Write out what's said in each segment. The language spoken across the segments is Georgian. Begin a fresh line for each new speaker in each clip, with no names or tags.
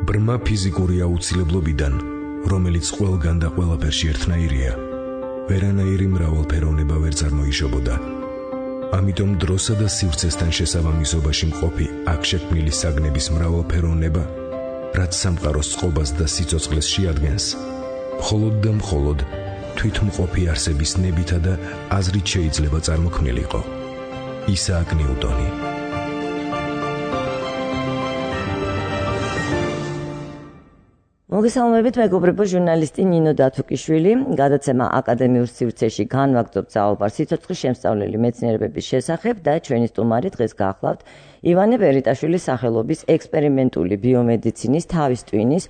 ბრმა ფიზიკური აუცილებლობიდან, რომელიც ყველგან და ყველაფერში ერთნაირია, ვერანაირი მრავალფეროვნება ვერ წარმოიშობოდა. ამიტომ დროსა და სივრცესთან შესაბამისობაში მყოფი აქ შექმნილი საგნების მრავალფეროვნება, რაც სამყაროს წყობას და სიცოცხლეს შეადგენს, მხოლოდ და მხოლოდ თვითმყოფი არსების ნებითა და აზრით შეიძლება წარმოქმნილიყო. ისააკ ნიუტონი.
მოგესალმებით, მეგობრებო, ჟურნალისტი ნინო დათუკიშვილი, გადაცემა აკადემიურ სივრცეში განვაგრძობ საუბარ სიცოცხლის შემსწავლელი მეცნიერებების შესახებ და ჩვენი სტუმარი დღეს გახლავთ ივანე ბერიტაშვილის სახელობის ექსპერიმენტული ბიომედიცინის თავის ტვინის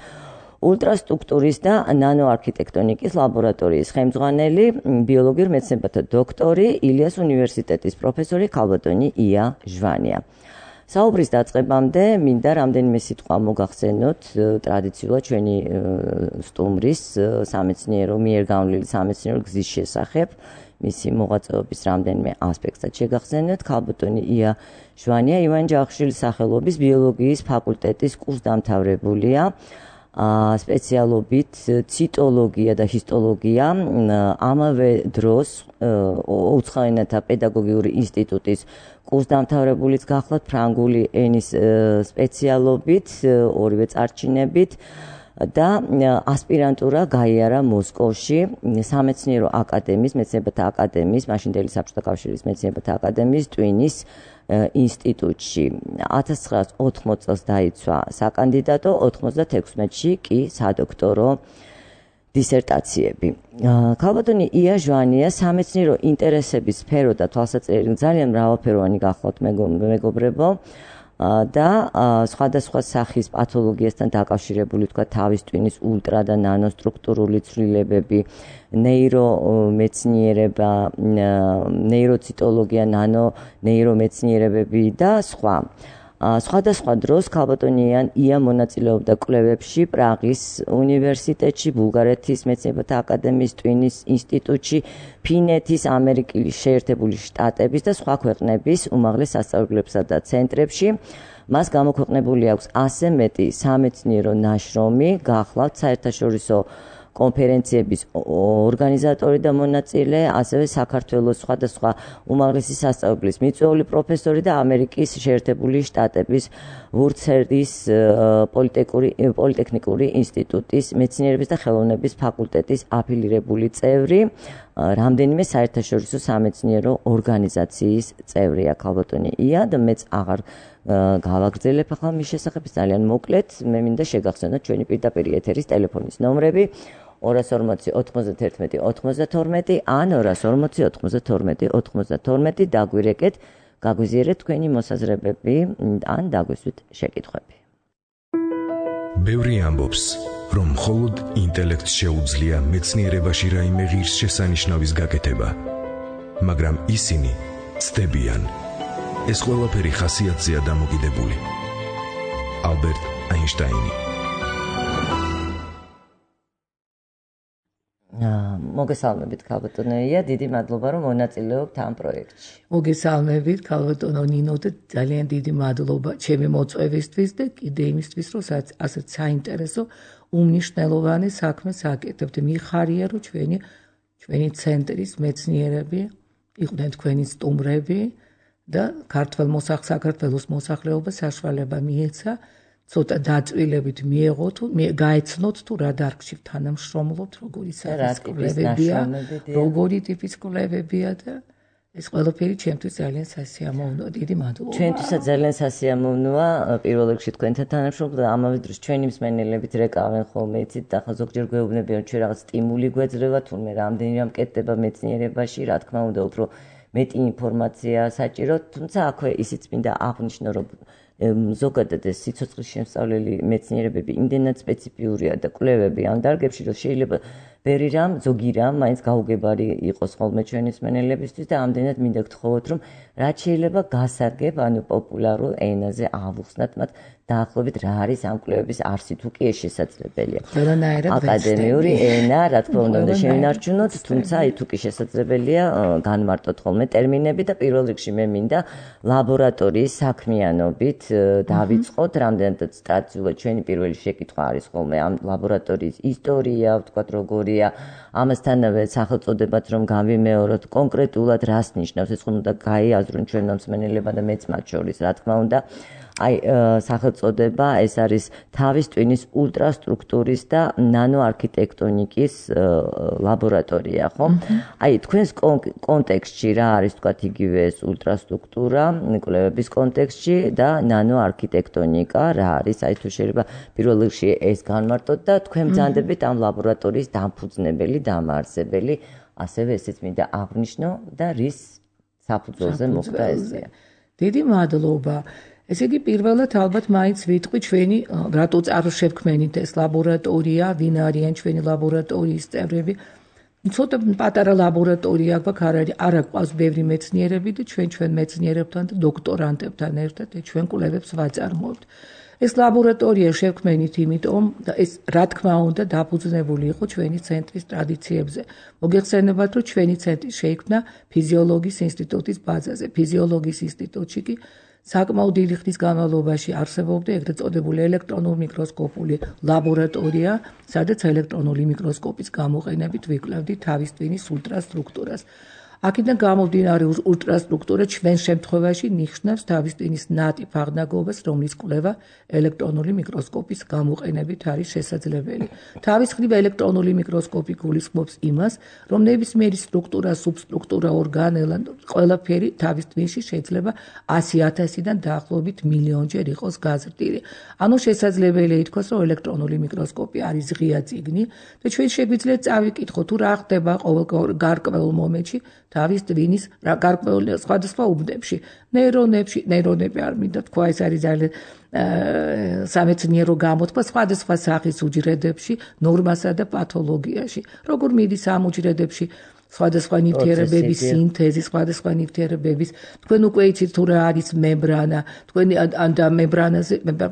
ულტრასტრუქტურის და ნანოარქიტექტონიკის ლაბორატორიის ხელმძღვანელი, ბიოლოგიურ მეცნიერებათა დოქტორი, ილიას უნივერსიტეტის პროფესორი ქალბატონი ია ჟვანია. საუბრის დაწყებამდე მინდა რამდენიმე სიტყვა მოგახსენოთ ტრადიციულად ჩვენი სტუმრის სამეცნიერო მიერ გამოვლილი სამეცნიერო გზის შესახებ, მისი მოღვაწეობის რამდენიმე ასპექტსაც შეგახსენოთ. ქალბატონი ია ჟვანია ივანე ჯავახიშვილის სახელობის ბიოლოგიის ფაკულტეტის კურსდამთავრებულია, სპეციალობით ციტოლოგია და ჰისტოლოგია, ამავე დროს უცხოენათა პედაგოგიური ინსტიტუტის კურსდამთავრებულიც გახლავთ ფრანგული ენის სპეციალობით, ორივე წარჩინებით და ასპირანტურა გაიარა მოსკოვში სამეცნიერო აკადემიის, მეცნიერებათა აკადემიის, მაშინდელი საბჭოთა კავშირის მეცნიერებათა აკადემიის ტვინის ინსტიტუტში. 1980 წელს დაიცვა საკანდიდატო, 96-ში კი სადოქტორო დისერტაციები. ქალბატონი ია ჟვანია სამეცნიერო ინტერესების სფერო და თვალსაჩინო ძალიან მრავალფეროვანი გახლავთ მეგობრებო და სხვადასხვა სახის პათოლოგიასთან დაკავშირებული თქვა თავის ტვინის ულტრა და ნანოსტრუქტურული ცვლილებები, ნეირომეცნიერება, ნეიროციტოლოგია, ნანონეირომეცნიერებები და სხვა. სხვადასხვა დროს ქალბატონი ია მონაწილეობდა კვლევებში პრაღის უნივერსიტეტში, ბულგარეთის მეცნიერებათა აკადემიის ტვინის ინსტიტუტში, ფინეთის, ამერიკის შეერთებული შტატების და სხვა ქვეყნების უმაღლეს სასწავლებლებსა და ცენტრებში. მას გამოქვეყნებული აქვს ასე მეტი სამეცნიერო ნაშრომი, გახლავთ საერთაშორისო კონფერენციების ორგანიზატორი და მონაწილე, ასევე საქართველოს სხვადასხვა უმაღლესი სასწავლებლის მიწვეული პროფესორი და ამერიკის შეერთებული შტატების ვურცერდის პოლიტექნიკური ინსტიტუტის მეცნიერების და ხელოვნების ფაკულტეტის აფილირებული წევრი, რამდენიმე საერთაშორისო სამეცნიერო ორგანიზაციის წევრია ქალბატონი ია და მეც აღარ გავაგრძელებ ახლა მის შესახებ, ძალიან მოკლედ, მე მინდა შეგახსენოთ ჩვენი პირდაპირ ეთერის ტელეფონის ნომრები 240 91 92 ან 240 92 92 დაგვირეკეთ, გაგვიზიარეთ თქვენი მოსაზრებები ან დაგვისვით შეკითხვები.
ბევრი ამბობს, რომ მხოლოდ ინტელექტს შეუძლია მეცნიერებაში რაიმე ღირსშესანიშნავის გაკეთება, მაგრამ ისინი ცდებიან. ეს ყველაფერი ხასიათზეა დამოკიდებული. ალბერტ აინშტაინი.
მოგესალმებით ქალბატონო ია, დიდი მადლობა რომ მონაწილეობთ ამ პროექტში.
მოგესალმებით ქალბატონო ნინო და ძალიან დიდი მადლობა ჩემი მოწვევისთვის და კიდე იმისთვის რომ ასეთ საინტერესო უმნიშვნელოვანე საქმეს აკეთებთ. მიხარია რომ ჩვენი ცენტრის მეცნიერები იყვნენ თქვენი სტუმრები და საქართველოს მოსახლეობა საშუალება მიეცა ცოტა დაწვილებით მიეღოთ, გაეცნოთ თუ რა დარგში თანამშრომლობთ, როგორი სახის კვლევებია, როგორი ტიპის კვლევებია და ეს ყველაფერი ჩემთვის ძალიან სასიამოვნოა. დიდი მადლობა.
ჩვენთვისაც ძალიან სასიამოვნოა პირველ რიგში თქვენთან თანამშრომლობა და ამავე დროს ჩვენი მსმენელებით რეკავენ ხოლმე იცით და ზოგჯერ გვეუბნებიან რომ ჩვენ რაღაც სტიმული გვეძლევა თურმე რამდენი რამ კეთდება მეცნიერებაში, რა თქმა უნდა უფრო მეტი ინფორმაცია საჭირო, თუმცა აქვე ისიც მინდა აღვნიშნო რომ ზოგადად ეს სიცოცხლის შემსწავლელი მეცნიერებები იმდენად სპეციფიურია და კვლევები ამ დარგებში, რომ შეიძლება ბევრი რამ, ზოგი რამ მაინც გაუგებარი იყოს ხოლმე ჩვენი მსმენელებისთვის და ამდენად მინდა გთხოვოთ, რომ რაც შეიძლება გასარგებ, პოპულარულ ენაზე ავუხსნათ მათ დაახლოებით რა არის ამ კვლევების არსი თუ კი ეს შესაძლებელია. აკადემიური ენა, რა თქმა უნდა, შევინარჩუნოთ, თუმცა თუ კი შესაძლებელია, განმარტოთ ხოლმე ტერმინები და პირველ რიგში მე მინდა ლაბორატორიის საქმიანობით დავიწყოთ, რამდენადაც ტრადიციულად ჩვენი პირველი შეკითხვა არის ხოლმე ამ ლაბორატორიის ისტორია, ვთქვათ, როგორია, ამასთანავე სახელწოდებაც რომ გავიმეოროთ, კონკრეტულად რას ნიშნავს, ეს ხომ უნდა გაიაზრონ ჩვენმა მსმენელებმა და მეც მათ შორის, რა თქმა უნდა. სახელწოდება ეს არის თავის ტვინის ულტრასტრუქტურის და ნანოარქიტექტონიკის ლაბორატორია, ხო? თქვენს კონტექსტში რა არის, თქვათ, იგივე ეს ულტრასტრუქტურა, კვლევების კონტექსტში და ნანოარქიტექტონიკა რა არის? თუ შეიძლება პირველ რიგში ეს განმარტოთ და თქვენ ბრძანდებით ამ ლაბორატორიის დამფუძნებელი, დამაარსებელი, ასევე ესეც მინდა აღვნიშნო და რის საფუძველზე მოხდა ესეა.
დიდი მადლობა. ესე იგი პირველად ალბათ მაინც ვიტყვი ჩვენი რატო წარშევქმენით ეს ლაბორატორია, ვინ არიან ჩვენი ლაბორატორიის წევრები. ცოტა პატარა ლაბორატორია გვაქვს, არ გვყავს ბევრი მეცნიერები და ჩვენ მეცნიერებთან და დოქტორანტებთან ერთად ჩვენ კვლევებს ვაწარმოებთ. ეს ლაბორატორია შევქმენით იმიტომ და ეს რა თქმა უნდა დაფუძნებული იყო ჩვენი ცენტრის ტრადიციებზე. მოგეხსენებათ, რომ ჩვენი ცენტრი შეიქმნა ფიზიოლოგიის ინსტიტუტის ბაზაზე. ფიზიოლოგიის ინსტიტუტში კი საკმაოდ დიდი ხნის განმავლობაში არსებობდა ეგრეთ წოდებული ელექტრონულ მიკროსკოპული ლაბორატორია, სადაც ელექტრონული მიკროსკოპის გამოყენებით ვიკვლევდით თავის ტვინის ულტრასტრუქტურას. აქედან გამომდინარე ულტრასტრუქტურა ჩვენ შემთხვევაში ნიშნავს თავის ტვინის ნატიფ აღნაგობას, რომლის კვლევა ელექტრონული მიკროსკოპის გამოყენებით არის შესაძლებელი. თავის მხრივ ელექტრონული მიკროსკოპი გულისხმობს იმას, რომ ნებისმიერი სტრუქტურა, სუბსტრუქტურა, ორგანელა, ყველაფერი თავის ტვინში შეიძლება 100,000-დან დაახლოებით მილიონჯერ იყოს გაზრდილი. ანუ შესაძლებელია ითქვას, რომ ელექტრონული მიკროსკოპი არის ღია წიგნი და ჩვენ შეგვიძლია წავიკითხოთ, თუ რა ხდება ყოველ გარკვეულ მომენტში თავის ტვინის გარკვეულ სხვადასხვა უბნებში, ნეირონები არ მინდა თქვა, ეს არის ძალიან სამეცნიერო გამოთქვა სხვადასხვა სახის უჯრედებში, ნორმასა და პათოლოგიაში. როგორ მიდის ამ უჯრედებში სხვადასხვა ნივთიერებების სინთეზი, სხვადასხვა ნივთიერებების, თქვენ უკვე იცით თუ რა არის მემბრანა, თქვენ და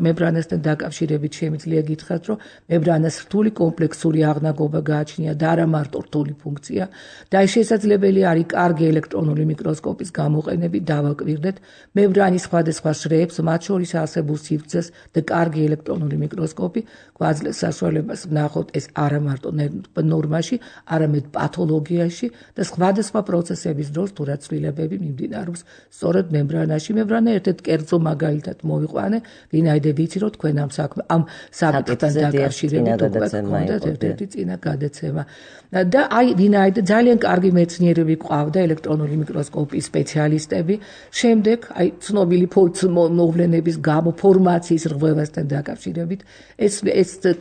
მემბრანასთან დაკავშირებით შემიძლია გითხრათ, რომ მემბრანას რთული კომპლექსური აღნაგობა გააჩნია და არა მარტო რთული ფუნქცია და შესაძლებელი არის კარგი ელექტრონული მიკროსკოპის გამოყენებით დავაკვირდეთ მემბრანის სხვადასხვა შრეებს, მათ შორის არსებულ სივრცეს და კარგი ელექტრონული მიკროსკოპი გვაძლევს საშუალებას ვნახოთ ეს არა მარტო ნორმაში, არამედ პათოლოგიაში და სხვადასხვა პროცესების დროს თუ რა ცვლილებები მიმდინარეობს სწორედ მემბრანაში. მემბრანა ერთ-ერთ კერძო მაგალითად მოვიყვანე, ვინაიდან ვიცი, რომ თქვენ ამ საკითხთან დაკავშირებით უკვე გქონდათ ერთ-ერთი წინა გადაცემა. და ვინაიდან ძალიან კარგი მეცნიერები ყავდა ელექტრონული მიკროსკოპის სპეციალისტები, შემდეგ ცნობილი მოვლენების გამო ფორმაციის რღვევასთან დაკავშირებით ეს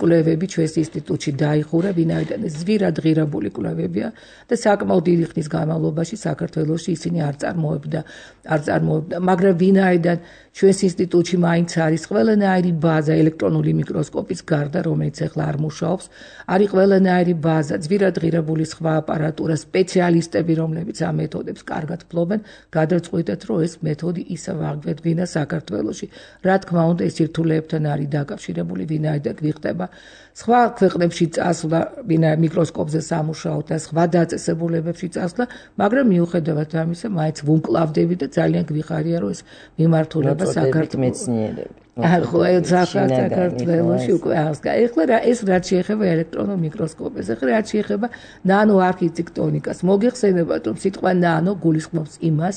კვლევები ჩვენს ინსტიტუტში დაიხურა, ვინაიდან ეს ზვირად ღირებული კვლევებია და საკმაოდ დიდი ხნის განმავლობაში საქართველოში ისინი არ წარმოებდა, მაგრამ ვინაიდან ჩვენს ინსტიტუტში მაინც არის ყველანაირი ბაზა ელექტრონული მიკროსკოპის გარდა, რომელიც ახლა არ მუშაობს, არის ყველანაირი ბაზა, ზვირად ღირებული სხვა აპარატურა, სპეციალისტები, რომლებიც ამ მეთოდებს კარგად ფლობენ, გადავწყვიტეთ, რომ ეს მეთოდი ისევ აღგვედგინა საქართველოში. რა თქმა უნდა, ეს სირთულეებთან არის დაკავშირებული, ვინაიდან გვიხდება სხვა ქვეყნებში წასვლა, მიკროსკოპზე სამუშაოდ და სხვა დაწესებულებებში წასვლა, მაგრამ მიუხედავად ამისა, მაინც ვუმკლავდები და ძალიან გვიხარია, რომ ეს მიმართულება საქართველოს
მეცნიერები.
საქართველოში უკვე ახლა ეს რაც შეეხება ელექტრონულ მიკროსკოპებს, ახლა რაც შეეხება ნანოარქიტექტონიკას. მოგეხსენებათ, რომ სიტყვა ნანო გულისხმობს იმას,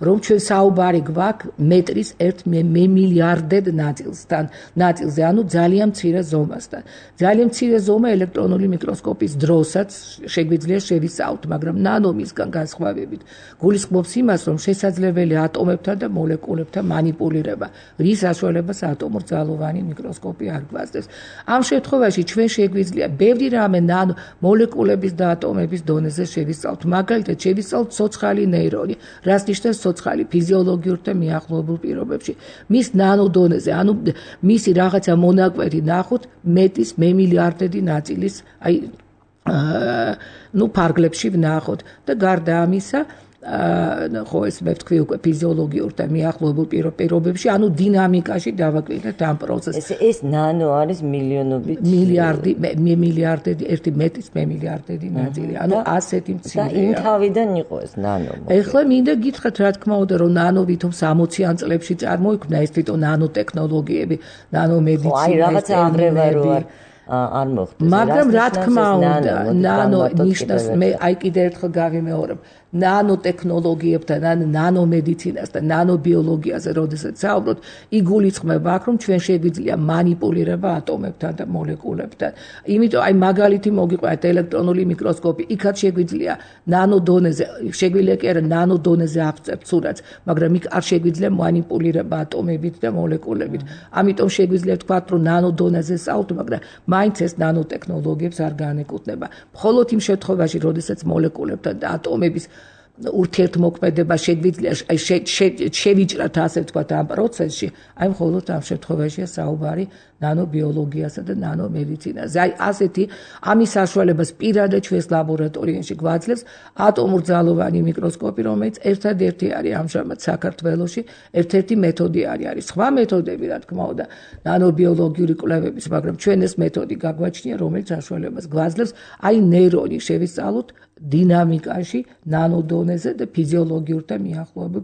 რომ ჩვენ საუბარი გვაქვს მეტრის 1 მილიარდად ნაწილზე, ანუ ძალიან მცირე ზომასთან. ძალიან მცირე ზომა ელექტრონული მიკროსკოპის დროსაც შეგვიძლია შევისწავლოთ, მაგრამ ნანომისგან განსხვავებით გულისხმობს იმას, რომ შესაძლებელია ატომებთან და მოლეკულებთან მანიპულირება, რის საშუალებას ატომურ ძალოვანი მიკროსკოპი არ გვასდევს. ამ შემთხვევაში ჩვენ შეგვიძლია ბევრი რამე ნანო მოლეკულების და ატომების დონეზე შევისწავლოთ. მაგალითად, შევისწავლოთ ცოცხალი ნეირონი, რაც ნიშნავს ცოცხალი ფიზიოლოგიურ და მიახლოებულ პირობებში. მის ნანო დონეზე, ანუ მისი რაღაცა მონაკვეთი ნახოთ მეტის მემილიარდედი ნაწილის, ფარგლებში ვნახოთ და გარდა ამისა ხო ეს მე ვთქვი უკვე ფიზიოლოგიურ და მიახლოებულ პირობებში, ანუ დინამიკაში დავაკვირდეთ ამ პროცესს.
ეს ნანო არის მილიონობით
მილიარდები, ერთი მეტის მილიარდები ნაწილი. ანუ ასეთი მცირეა.
და იმ თავიდან იყო ეს ნანო.
ეხლა მინდა გითხრათ, რა თქმა უნდა, რომ ნანო ვითომ 60-იან წლებში წარმოიქმნა ეს თვითონ ნანოტექნოლოგიები, ნანომედიცინა.
აი რაღაცა აღრევა არ მოხდეს.
მაგრამ რა თქმა უნდა, ნანო ნიშნავს მე აი კიდევ ერთხელ გავიმეორებ, ნანოტექნოლოგიებთან, ნანომედიცინას და ნანობიოლოგიაზე, როდესაც საუბრობთ, იგულისხმება აქ, რომ ჩვენ შეგვიძლია манипуლირება ატომებთან და მოლეკულებთან. იმიტომ აი მაგალითი მოგიყვანეთ ელექტრონული მიკროსკოპი, იქაც შეგვიძლია ნანო დონეზე, შეგვიძლია კი არა ნანო დონეზე აღწევთ სურათს, მაგრამ იქ არ შეგვიძლია манипуლირება ატომებით და მოლეკულებით. ამიტომ შეგვიძლია თქვათ, რომ ნანო დონეზე საუბრობთ, მაგრამ მაინც ეს ნანოტექნოლოგიებს არ განეკუთვნება. მხოლოდ იმ შემთხვევაში, როდესაც მოლეკულებთან და ატომების ურთიერთმოქმედება შეგვიძლია შევიჭრათ ასე ვთქვათ ამ პროცესში, აი მხოლოდ ამ შემთხვევაშია საუბარი ნანობიოლოგიასა და ნანომედიცინაზე. აი ასეთი ამის საშუალებას პირადად ჩვენს ლაბორატორიაში გვაძლევს ატომურძალოვანი მიკროსკოპი, რომელიც ერთადერთი არის ამჟამად საქართველოში, ერთ-ერთი მეთოდი არის. სხვა მეთოდები, რა თქმა უნდა, ნანობიოლოგიური კვლევების, მაგრამ ჩვენ ეს მეთოდი გაგვაჩნია, რომელიც საშუალებას გვაძლევს აი ნეირონი შევისწავლოთ დინამიკაში, ნანოდონეზე და ფიზიოლოგიურ და მიახლოებულ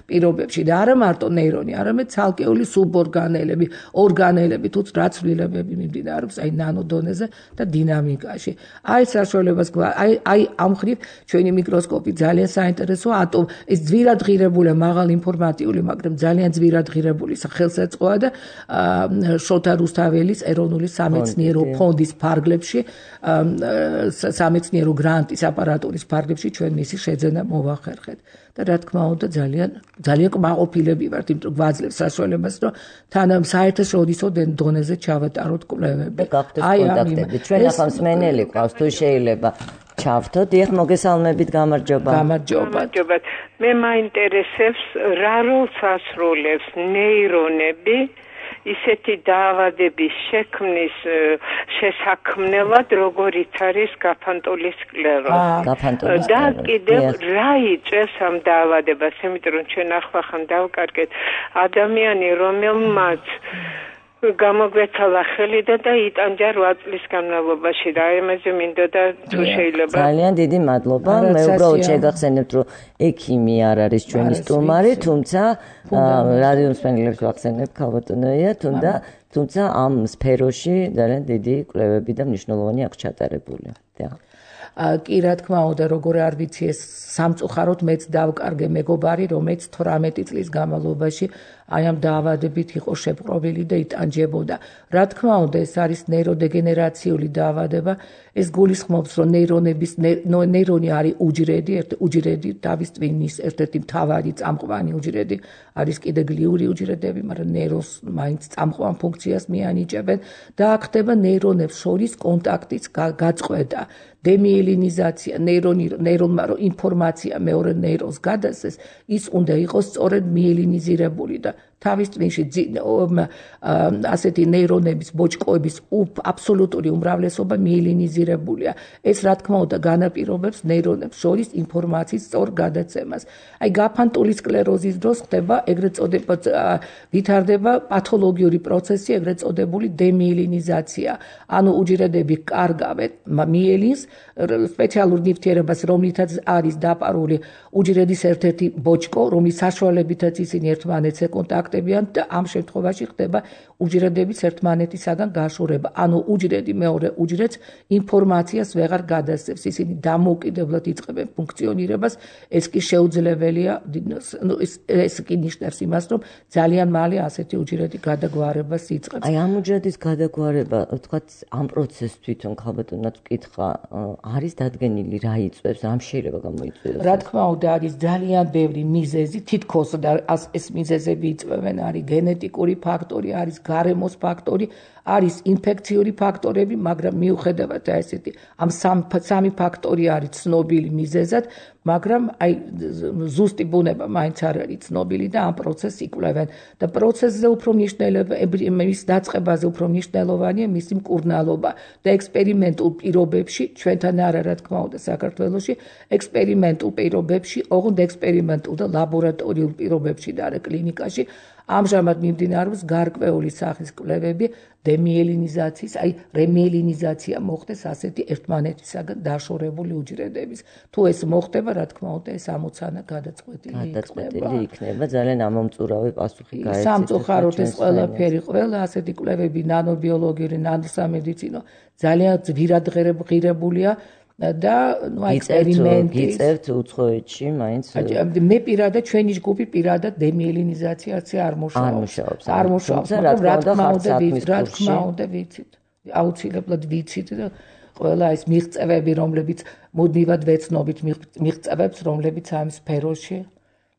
პირობებში. და არა მარტო ნეირონი, არამედ ცალკეული სუბორგანელები, ორგანელები, თუ რაც ცვლილებები მიმდინარეობს აი ნანოდონეზე და დინამიკაში. აი საშუალებას აი ამ ხრივ ჩვენი მიკროსკოპი ძალიან საინტერესოა, ეს ძვირად ღირებული, მაღალ ინფორმატიული, მაგრამ ძალიან ძვირად ღირებული ხელსაწყოა და შოთა რუსთაველის ეროვნული სამეცნიერო ფონდის ფარგლებში, სამეცნიერო გრანტის აპარატურის ფარგლებში ჩვენ მისი შეძენა მოვახერხეთ. და რა თქმა უნდა ძალიან კმაყოფილები ვართ, იმიტომ რომ გვაძლევს საშუალებას, რომ თან საერთაშორისო დონეზე ჩავატაროთ კვლევები.
აი კონტაქტები ჩვენ ახლა მსმენელი ყავს, თუ შეიძლება ჩავთოთ. დიახ, მოგესალმებით, გამარჯობა.
გამარჯობათ. მე მაინტერესებს რა როლს ასრულებს ნეირონები ისეთი დაავადების შექმნის შესაქმნელად, როგორიც არის გაფანტული სკლეროზი. და კიდევ რა იწვევს ამ დაავადებას, იმიტომ რომ ჩვენ ახლახან დავკარგეთ ადამიანი, რომელმაც გამოგვეცალა ხელი და იტანჯა 8 წლის განმავლობაში და ამაზე მინდოდა თუ შეიძლება.
ძალიან დიდი მადლობა. მე უბრალოდ შეგახსენებთ, რომ ექიმი არ არის ჩვენი სტუმარი, თუმცა რადიო მსმენელებს ვახსენებ, ქალბატონია, თუმცა ამ სფეროში ძალიან დიდი კვლევები და მნიშვნელოვანი აქვს ჩატარებული.
კი, რა თქმა უნდა, როგორ არ ვიცი, ეს სამწუხაროდ მეც დავკარგე მეგობარი, რომელიც 18 წლის განმავლობაში აი ამ დაავადებით იყო შეპყრობილი და იტანჯებოდა. რა თქმა უნდა, ეს არის ნეიროდეგენერაციული დაავადება. ეს გულისხმობს, რომ ნეირონი არის უჯრედი, თავის ტვინის ერთ-ერთი მთავარი წამყვანი უჯრედი, არის კიდე გლიური უჯრედები, მაგრამ ნეირონს მაინც წამყვან ფუნქციას მიანიჭებენ და აქ ხდება ნეირონებს შორის კონტაქტის გაწყვეტა. დემიელინიზაცია, ნეირონმა რომ ინფორმაცია მეორე ნეირონს გადასცეს, ის უნდა იყოს სწორედ მიელინიზირებული და თავის ტვინში ასეთი ნეირონების ბოჭკოების აბსოლუტური უმრავლესობა მიელინიზირებულია. ეს რა თქმა უნდა განაპირობებს ნეირონებს შორის ინფორმაციის სწორ გადაცემას. აი გაფანტული სკლეროზის დროს ხდება ეგრეთ წოდებულ ვითარდება პათოლოგიური პროცესი, ეგრეთ წოდებული დემიელინიზაცია. ანუ უჯრედები კარგავენ მიელინს, სპეციალურ ნივთიერებას, რომლითაც არის დაპარული უჯრედის ერთ-ერთი ბოჭკო, რომლის საშუალებითაც ისინი ერთმანეთს ეკონტაქტებიან და ამ შემთხვევაში ხდება უჯრედების ერთმანეთისაგან გაშორება. ანუ უჯრედი მეორე უჯრედს ინფორმაციას ვეღარ გადასცემს, ისინი დამოუკიდებლად იწყებენ ფუნქციონირებას, ეს კი შეუძლებელია, ეს კი ნიშნავს იმას, რომ ძალიან მალე ასეთი უჯრედი გადაგვარებას იწყებს.
აი ამ უჯრედის გადაგვარება, თქვათ, ამ პროცესს თვითონ ქალბატონად ვკითხა, არის დადგენილი რა იწვევს, რამ შეიძლება გამოიწვიოს?
რა თქმა უნდა, არის ძალიან ბევრი მიზეზი, თითქოს და ეს მიზეზები იწვევენ, არის გენეტიკური ფაქტორი, არის გარემოს ფაქტორი, არის ინფექციური ფაქტორები, მაგრამ მიუხედავად ესეთი ამ სამი ფაქტორი არის ცნობილი მიზეზად, მაგრამ აი ზუსტი ბუნება მაინც არ არის ცნობილი და ამ პროცესს იკვლევენ და პროცესზე უფრო მის დაწყებაზე უფრო მნიშვნელოვანია მისი მკურნალობა და ექსპერიმენტულ პირობებში ჩვენთან არა რა თქმა უნდა საქართველოში ექსპერიმენტულ პირობებში ოღონდ ექსპერიმენტულ და ლაბორატორიულ პირობებში და არა კლინიკაში ამჟამად მიმდინარეობს გარკვეული სახის კვლევები დემიელინიზაციის, აი რემიელინიზაცია მოხდეს ასეთი ერთმანეთისაგან დაშორებული უჯრედების. თუ ეს მოხდება, რა თქმა უნდა, ეს ამოცანა გადაწყვეტილი
იქნება. ძალიან ამომწურავი პასუხი გაეცით.
სამწუხაროდ ეს ყველაფერი, ყველა ასეთი კვლევები ნანობიოლოგიური, ნანოსამედიცინო ძალიან ძვირად ღირებულია. და ექსპერიმენტი
გიწევთ უცხოეთში მაინც
მე პირადად ჩვენი ჯგუფი პირადად დემიელინიზაციაზე არ მუშაობს რა თქმა უნდა ვიცით აუცილებლად ვიცით და ყველა ეს მიღწევები რომლებიც მუდმივად ვეცნობით მიღწევებს რომლებიც ამ სფეროში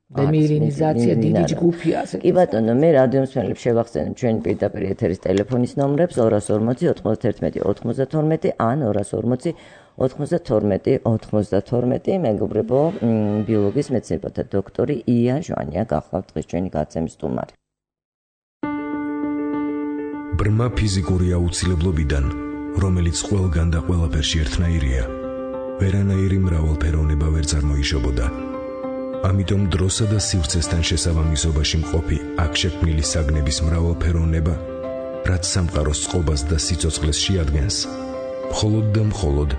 დემიელინიზაცია დიდი ჯგუფია ასე
კი ბატონო მე რადიო მსმენელებს შევახსენებ ჩვენი პირდაპირ ეთერის ტელეფონის ნომრებს 240 91 92 ან 240 92 მეგობრებო ბიოლოგიის მეცნიერებათა დოქტორი ია ჟვანია გახლავთ დღეს ჩვენი გაცემის სტუმარი.
ბრმა ფიზიკური აუცილებლობიდან, რომელიც ყველგან და ყველაფერში ერთნაირია, ვერანაირი მრავალფეროვნება ვერ წარმოიშობოდა. ამიტომ დროსა და სივრცესთან შესაბამისობაში მყოფი აქ შექმნილი საგნების მრავალფეროვნება, რაც სამყაროს წყობას და სიცოცხლეს შეადგენს, მხოლოდ და მხოლოდ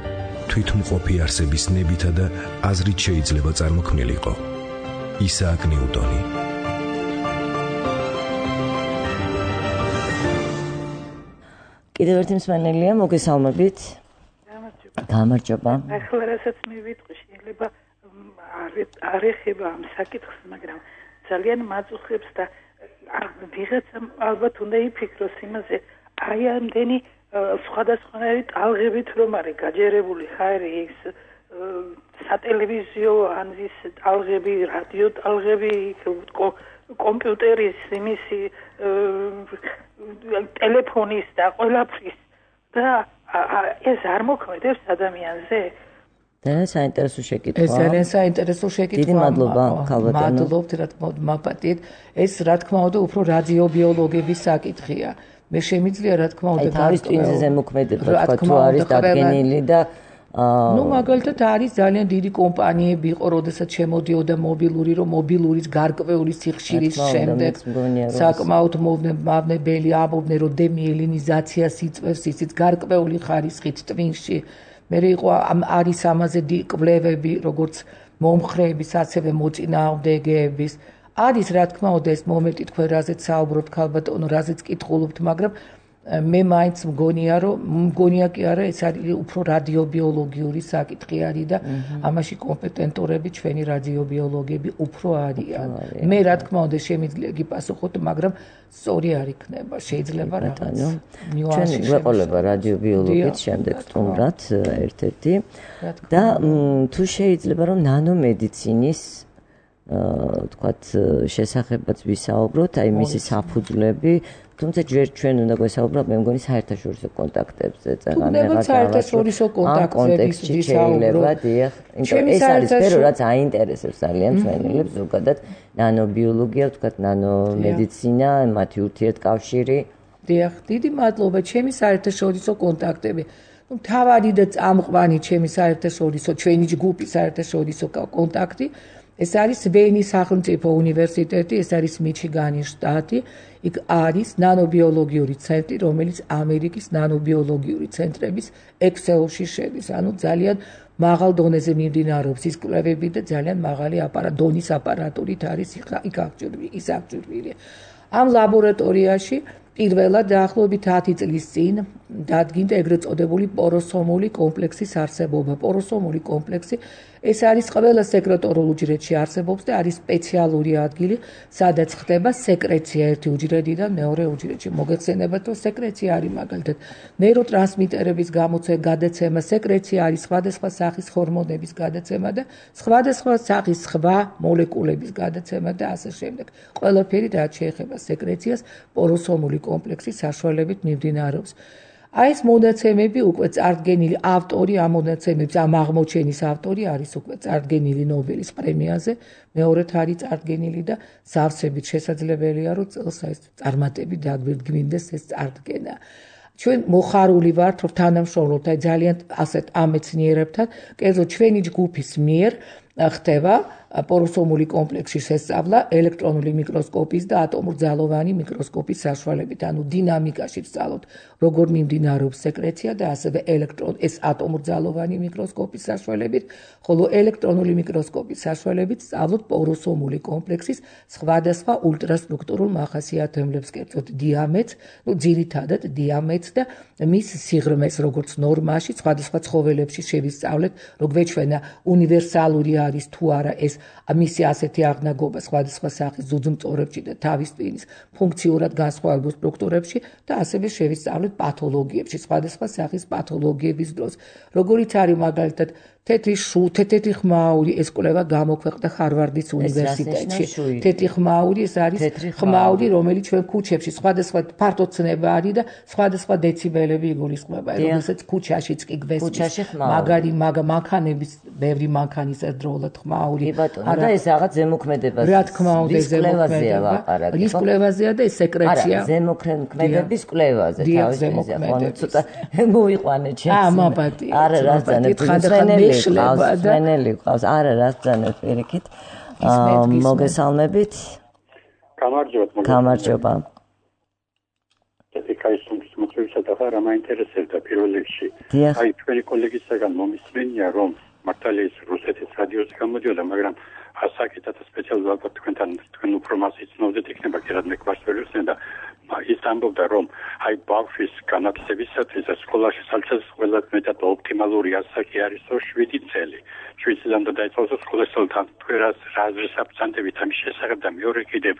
თვითმყოფი არსების ნებითა და აზრით შეიძლება წარმოქმნილიყო. ისააკ ნიუტონი.
კიდევ ერთი მსმენელია, მოგესალმებით. გამარჯობა.
ახლა რასაც მე ვიტყვი, შეიძლება არ ეხება ამ საკითხს, მაგრამ ძალიან მაწუხებს და ვიღაცამ ალბათ უნდა იფიქროს იმაზე, აი ამდენი სხვადასხვანაირი ტალღებით რომ არის გაჯერებული ხარი ის სატელევიზიო ან ის ტალღები, რადიო ტალღები, კომპიუტერის იმისი ტელეფონის და ყველაფრის და ეს არ მოქმედებს ადამიანზე.
ძალიან საინტერესო შეკითხვა.
ეს ძალიან საინტერესო შეკითხვა.
დიდი მადლობა, ქალბატონო.
მადლობთ, რა თქმა უნდა, მაპატით. ეს რა თქმა უნდა უფრო რადიობიოლოგების საკითხია. მე შემიძლია რა თქმა უნდა
თავის ტვინზე მოქმედება თქვა თუ არის დადგენილი და
მაგალითად არის ძალიან დიდი კომპანიები იყო, როდესაც შემოდიოდა მობილურის გარკვეული სიხშირის შემდეგ საკმაოდ მავნებელი ამბობდნენ, რომ დემიელინიზაციას იწვევს ისიც გარკვეული ხარისხით ტვინში. მე იყო არის ამაზე კვლევები, როგორც მომხრეების, ასევე მოწინააღმდეგეების. არის რა თქმა უნდა ეს მომენტი თქვენ რაზეც საუბრობთ ქალბატონო, რაზეც კითხულობთ, მაგრამ მე მაინც მგონია კი არა, ეს არის უფრო რადიობიოლოგიური საკითხი არის და ამაში კომპეტენტურები ჩვენი რადიობიოლოგები უფრო არიან. მე რა თქმა უნდა შემიძლია გიპასუხოთ, მაგრამ სწორი არ იქნება, შეიძლება რაღაც
ნიუანსი გვეყოლება რადიობიოლოგით შემდეგ სტუმრად ერთ-ერთი და თუ შეიძლება რომ ნანომედიცინის თქვათ შესახებაც ვისაუბროთ, აი მისი საფუძვლები, თუმცა ჯერ ჩვენ უნდა გვესაუბროთ, მე მგონი საერთაშორისო კონტაქტებზე, წეგან
რაღაც საერთაშორისო კონტაქტებში
შეიძლება, დიახ, ეს არის სფერო, რაც აინტერესებს ძალიან მსმენელებს, ზოგადად ნანობიოლოგია, თქვათ ნანომედიცინა, მათი ურთიერთკავშირი.
დიახ, დიდი მადლობა, ჩემი საერთაშორისო კონტაქტები. თავარი და წამყვანი ჩემი საერთაშორისო, ჩვენი ჯგუფის საერთაშორისო კონტაქტი ეს არის ვენის სახელმწიფო უნივერსიტეტი, ეს არის მიჩიგანის შტატი. იქ არის ნანობიოლოგიური ცენტრი, რომელიც ამერიკის ნანობიოლოგიური ცენტრების ექსელში შედის. ანუ ძალიან მაღალ დონეზე მიმდინარეობს ის კვლევები და ძალიან მაღალი დონის აპარატურით არის იქ აღჭურვილი. ამ ლაბორატორიაში პირველად დაახლოებით 10 წლის წინ დადგინდა ეგრეთ წოდებული პოროსომული კომპლექსის არსებობა. პოროსომული კომპლექსი ეს არის ყველა სეკრეტორულ უჯრედში არსებობს და არის სპეციალური ადგილი, სადაც ხდება სეკრეცია ერთი უჯრედიდან მეორე უჯრედში. მოგეხსენებათ, რომ სეკრეცია არის მაგალითად ნეიროტრანსმიტერების გადაცემა, სეკრეცია არის სხვადასხვა სახის ჰორმონების გადაცემა და სხვადასხვა სახის სხვა მოლეკულების გადაცემა და ასე შემდეგ. ყველაფერი რაც შეეხება სეკრეციას, პოროსომული კომპლექსის საშუალებით მიმდინარეობს. აი ეს მონაცემები უკვე წარდგენილი ავტორი ამ მონაცემების ამ აღმოჩენის ავტორი არის უკვე წარდგენილი ნობელის პრემიაზე მეორედ არის წარდგენილი და სავსებით შესაძლებელია რომ წელს ეს წარმატები დაგვირდგმინდეს ეს წარდგენა ჩვენ მოხარული ვართ რომ თანამშრომლობთ აი ძალიან ასეთ ამ მეცნიერებთან კერძო ჩვენი ჯგუფის მიერ ხდება პოროსომული კომპლექსში შესწავლა ელექტრონული მიკროსკოპის და ატომურძალოვანი მიკროსკოპის საშუალებით, ანუ დინამიკაში ვსწავლოთ, როგორ მიმდინარეობს სეკრეცია და ასევე ეს ატომურძალოვანი მიკროსკოპის საშუალებით, ხოლო ელექტრონული მიკროსკოპის საშუალებით ვსწავლოთ პოროსომული კომპლექსის სხვადასხვა ულტრასტრუქტურულ მახასიათებლებს, კერძოდ დიამეტს, ძირითადად დიამეტს და მის სიღრმეს, როგორც ნორმაში, სხვადასხვა ცხოველებში შევისწავლეთ, რომ გვეჩვენა უნივერსალური არის თუ არა ეს მისი ასეთი აღნაგობა სხვადასხვა სახის ძუძუმწოვრებში და თავის ტვინის ფუნქციურად განსხვავებულ სტრუქტურებში და ასევე შევისწავლეთ პათოლოგიებში, სხვადასხვა სახის პათოლოგიების დროს. როგორიც არის მაგალითად თეთრი ხმაური ეს კვლევა გამოქვეყნდა ხარვარდის უნივერსიტეტში. თეთრი ხმაური ეს არის ხმაური, რომელიც ჩვენ ქუჩებში სხვადასხვა ფართოცნება არის და სხვადასხვა დეციბელები იგულისხმება. როდესაც ქუჩაშიც კი გვესმის მაგარი მანქანების ბევრი მანქანის ერთდროულად ხმაური.
და ეს რაღაც ზემოქმედებას.
რა თქმა უნდა, ზემოქმედება ლაპარაკი. ის კვლევაზეა და ეს სეკრეცია.
არა, ზემოქმედების კვლევაზე თავისთავად. ხო, ცოტა მოიყვანე ჩემს. არა, რა ძანებ. ხანელი ყავს. არა, რა ძანებ პირიქით. მოგესალმებით. გამარჯობა.
კაისუმის მოწვევისა და რა მაინტერესებდა პირველ რიგში. აი თქვენი კოლეგისაგან მომისმენია რომ მართალია ის რუსეთის რადიოზე გამოდიოდა, მაგრამ ასაკეთად სპეციალურად ალბათ თქვენ უფრო მას იცნობდეთ, იქნება კი რადგან მეკვარს ვერ უსმენ და ის ამბობდა რომ აი ბავშვის განათლებისათვის სკოლაში სალცეს ყველაზე მეტად ოპტიმალური ასაკი არის 7 წელი. 7 წლიდან დაიწყოს სკოლასთან თქვენ რა აზრის აბსანტებით ამის შესახებ და მეორე კიდევ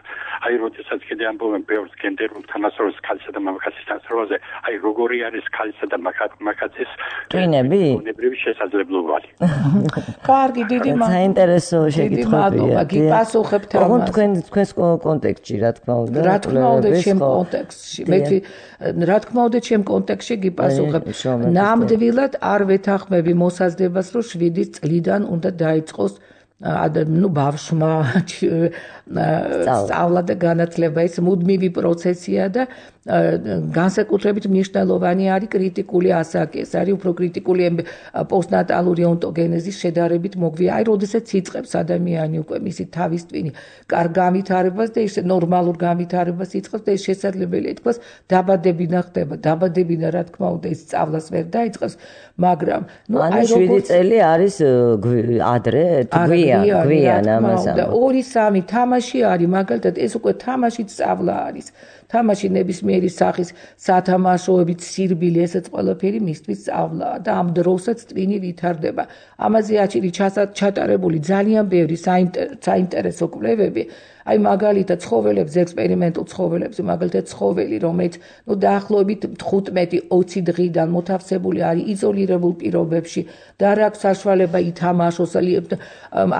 აი როდესაც კიდე ამბობენ ბევრს გენდერულ თანასწორობის ქალისა და მამაკაცის თანასწორობაზე, აი როგორი არის ქალისა და მამაკაცის
ტვინები?
უნებრივი შესაძლებლობანი.
კარგი, დიდი
საინტერესო შეკითხვებია.
გიპასუხებთ ამას.
თქვენს კონტექსტში, რა თქმა უნდა.
რა თქმა უნდა, ჩემ კონტექსტში. რა თქმა უნდა, ჩემ კონტექსტში გიპასუხებ. ნამდვილად არ ვეთანხმები მოსაზრებას, რომ 7 წლიდან უნდა დაიწყოს ბავშვმა სწავლა და განათლება. ეს მუდმივი პროცესია და განსაკუთრებით მნიშვნელოვანი არის კრიტიკული ასაკი. ეს არის უფრო კრიტიკული პოსტნატალური ონტოგენეზის შედარებით მოგვია. აი, როდესაც იწყებს ადამიანი უკვე მისი თავის ტვინი კარგ განვითარებას და ის ნორმალურ განვითარებას იწყებს და ეს შესაძლებელია ითქვას დაბადებინა ხდება. დაბადებინა რა თქმა უნდა ის სწავლას ვერ დაიწყებს, მაგრამ
აი 7 წელი არის ადრე, გვიან ამას.
და 2-3 თამაში არის, მაგალითად ეს უკვე თამაშით სწავლა არის. თამაში ნებისმიერი სახის სათამაშოებით სირბილი ესეც ყველაფერი მისთვის სწავლაა და ამ დროსაც ტვინი ვითარდება. ამაზე აჩილი ჩატარებული ძალიან ბევრი საინტერესო კვლევები. აი მაგალითად ცხოველებზე, ექსპერიმენტულ ცხოველებზე, მაგალითად ცხოველი, რომელიც დაახლოებით 15-20 დღიდან მოთავსებული არის იზოლირებულ პირობებში და არ აქვს საშუალება ითამაშოს,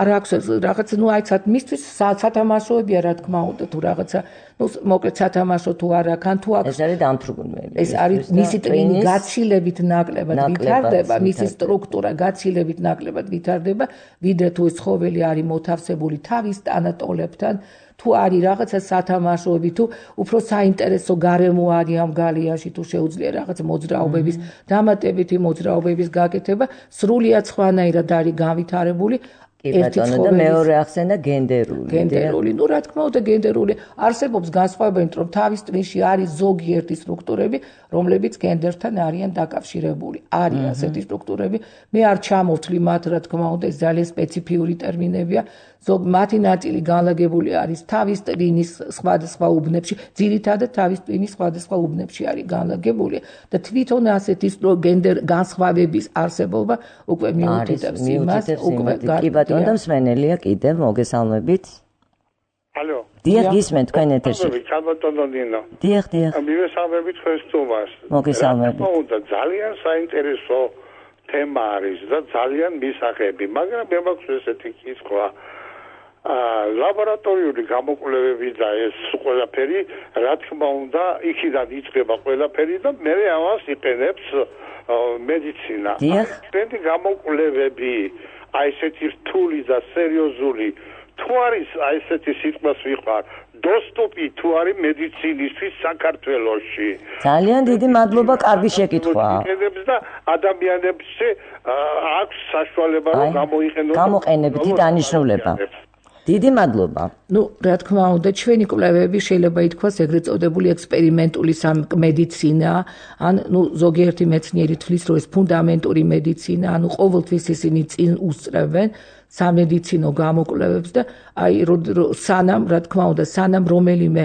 არ აქვს რაღაც, აი მისთვის სათამაშოებია რა თქმა უნდა, თუ რაღაცა მოკლედ სათამაშო თუ არ აქვს, ან თუ აქვს.
ეს არის დამთრგუნველი.
ეს არის მისი ტვინი გაცილებით ნაკლებად ვითარდება, მისი სტრუქტურა გაცილებით ნაკლებად ვითარდება, ვიდრე თუ ეს ცხოველი არის მოთავსებული თავის ტანატოლებთან, თუ არის რაღაცა სათამაშოები, თუ უფრო საინტერესო გარემო არის ამ გალიაში, თუ შეუძლია რაღაც მოძრაობების, დამატებითი მოძრაობების გაკეთება, სრულიად სხვანაირად არის განვითარებული.
და მეორე ახსენა გენდერული.
რა თქმა უნდა გენდერული არსებობს განსხვავება, რომ თავის ტვინში არის ზოგიერთი სტრუქტურები, რომლებიც გენდერთან არიან დაკავშირებული. არის ასეთი სტრუქტურები. მე არ ჩამოვთვლი მათ, რა თქმა უნდა, ეს ძალიან სპეციფიური ტერმინებია. მათი ნაწილი განლაგებული არის თავის ტვინის სხვადასხვა უბნებში, ძირითადად თავის ტვინის სხვადასხვა უბნებში არის განლაგებული და თვითონ ასეთი გენდერ განსხვავების არსებობა უკვე მიუთითებს იმას, უკვე
და მსმენელია კიდევ მოგესალმებით.
ალო.
დიახ, გისმენთ თქვენ ეთერში.
ჩაბატონონინო.
დიახ.
მივესალმებით თქვენ სტუმარს.
მოგესალმებით.
ძალიან საინტერესო თემა არის და ძალიან მისაღები, მაგრამ მე მაქვს ესეთი კითხვა. ლაბორატორიული გამოკვლევები და ეს ყველაფერი, რა თქმა უნდა, იქიდან იწყება ყველაფერი და მე ამას იყენებს მედიცინა. ჩვენი გამოკვლევები, აი ესეთი რთული და სერიოზული, თუ არის აი ესეთი სიტყვას ვიყარ, доступი თუ არის მედიცინისთვის საქართველოში.
ძალიან დიდი მადლობა, კარგი შეკითხვაა.
და ადამიანებს აქვს საშუალება რომ გამოიყენოს
გამოყენებითი დანიშნულება. დიდი მადლობა.
რა თქმა უნდა, ჩვენი კვლევები შეიძლება ითქვას ეგრეთ წოდებული ექსპერიმენტული მედიცინა, ან ზოგიერთი მეცნიერი თვლის, რომ ეს ფუნდამენტური მედიცინა, ყოველთვის ისინი წინ უსწრებენ სამედიცინო გამოკვლევებს და აი სანამ, რა თქმა უნდა, სანამ რომელიმე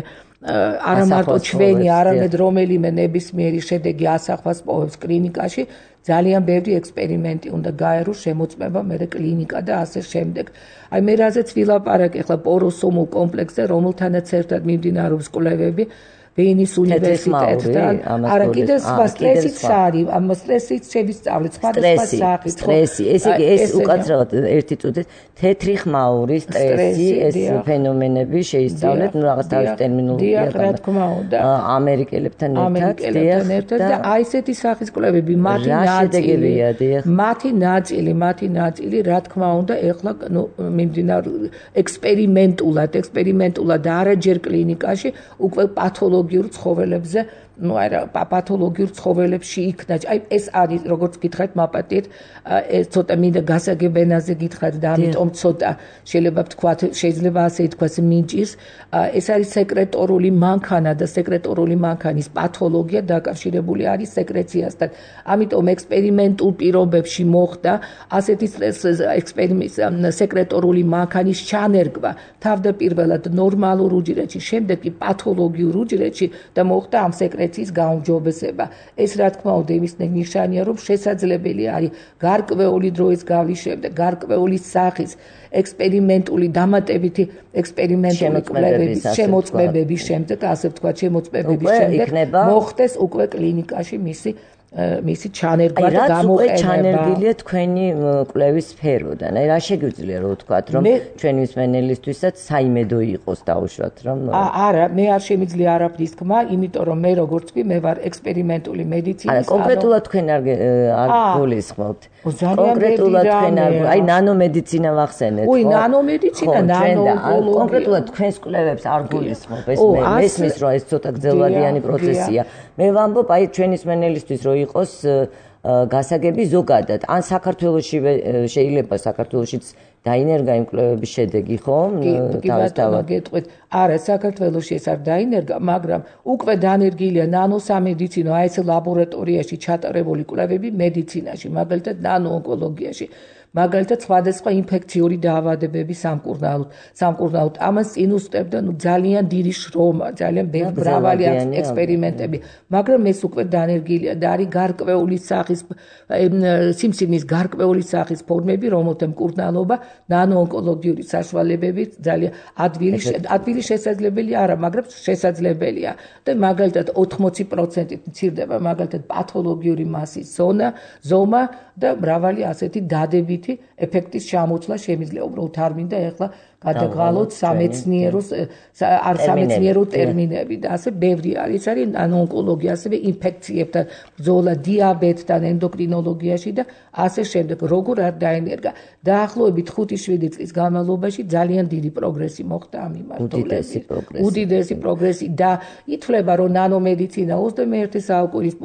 არა მარტო ჩვენი, არამედ რომელიმე ნებისმიერი შედეგი ასახვას პოვებს კლინიკაში, ძალიან ბევრი ექსპერიმენტი უნდა გაეროს შემოწმება მერე კლინიკა და ასე შემდეგ. აი მე რაზეც ვილაპარაკე ახლა პოროსომულ კომპლექსზე, რომელთანაც ერთად მიმდინარეობს კვლევები ვენის უნივერსიტეტთან. არა კიდე სხვა სტრესიც არის, ამ სტრესიც შევისწავლეთ სხვადასხვა სახის.
სტრესი, ესე იგი ეს უკაცრავად ერთი წუთით თეთრი ხმაური სტრესი, ეს ფენომენები შეისწავლეთ, რაღაც თავის ტერმინოლოგია
რა თქმა უნდა.
ამერიკელებთან ერთად
და აი ესეთი სახის კვლევები მათი ნაწილი, რა თქმა უნდა, ეხლა ექსპერიმენტულად და არაჯერ კლინიკაში უკვე პათოლოგიურ ცხოველებზე, პათოლოგიურ ცხოველებში იქნა. აი ეს არის, როგორც გითხრათ, მაპატიეთ, ეს ცოტა მინდა გასაგებენაზე გითხრათ და ამიტომ ცოტა შეიძლება ვთქვათ, შეიძლება ასე ითქვას, მინჭის. ეს არის სეკრეტორული მანქანა და სეკრეტორული მანქანის პათოლოგია დაკავშირებული არის სეკრეციასთან. ამიტომ ექსპერიმენტულ პირობებში მოხდა ასეთი სეკრეტორული მანქანის ჩანერგვა თავდაპირველად ნორმალურ უჯრედში, შემდეგ კი პათოლოგიურ უჯრედში და მოხდა ამ სეკრეციის გაუმჯობესება. ეს რა თქმა უნდა იმის ნიშანია, რომ შესაძლებელი არის გარკვეული დროის გავლის შემდეგ, გარკვეული სახის ექსპერიმენტული დამატებითი ექსპერიმენტული კვლევების შემოწმებების შემდეგ, ასე ვთქვათ, შემოწმებების შემდეგ მოხდეს უკვე კლინიკაში მისი ჩანერგვა და გამოყენება.
ჩანერგილია თქვენი კვლევის სფეროდან. აი რა შეგვიძლია რომ ვთქვათ, რომ ჩვენი მსმენელისთვისაც საიმედო იყოს დაუშვათ, რომ
არა, მე არ შემიძლია არაფრის თქმა, იმიტომ რომ მე როგორც კი მე ვარ ექსპერიმენტული მედიცინის.
არა, კონკრეტულად თქვენ არ გულისხმობთ. კონკრეტულად თქვენ აი ნანომედიცინა ვახსენეთ,
ხო? ნანომედიცინა, ნანოონკოლოგია.
კონკრეტულად თქვენს კვლევებს არ გულისხმობ, ეს მესმის რომ ეს ცოტა გრძელვადიანი პროცესია. მე ვამბობ აი ჩვენი მსმენელისთვის რომ იყოს გასაგები ზოგადად. ან საქართველოში შეიძლება საქართველოშიც დაინერგა იმ კვლევების შედეგი, ხო?
თავისთავად გეტყვით. არა, საქართველოში ეს არ დაინერგა, მაგრამ უკვე დანერგილია ნანოსამედიცინო, აი ეს ლაბორატორიაში ჩატარებული კვლევები მედიცინაში, მაგალითად ნანოონკოლოგიაში. მაგალითად სხვადასხვა ინფექციური დაავადებების სამკურნალოდ ამას წინ უსწრებდა ძალიან დიდი შრომა, ძალიან მრავალი ექსპერიმენტები, მაგრამ ეს უკვე დანერგილია და არის გარკვეული სახის სიმსივნის გარკვეული სახის ფორმები, რომელთა მკურნალობა ნანოონკოლოგიური საშუალებებით ძალიან ადვილი შესაძლებელი არა, მაგრამ შესაძლებელია და მაგალითად 80% მცირდება მაგალითად პათოლოგიური მასის ზომა და მრავალი ასეთი დადებითი ეფექტის ჩამოცვლა შემიძლია. უბრალოდ არ მინდა ეხლა გადაგვალოთ სამეცნიერო ტერმინები და ასე ბევრი არის. არის ნანოონკოლოგია, ასევე ინფექციებთან ბრძოლა, დიაბეტთან, ენდოკრინოლოგიაში და ასე შემდეგ. როგორ არ დაენერგა. დაახლოებით 5-7 წლის განმავლობაში ძალიან დიდი პროგრესი მოხდა ამ მიმართულებით. უდიდესი პროგრესი და ითვლება, რომ ნანომედიცინა 21 საუკუნის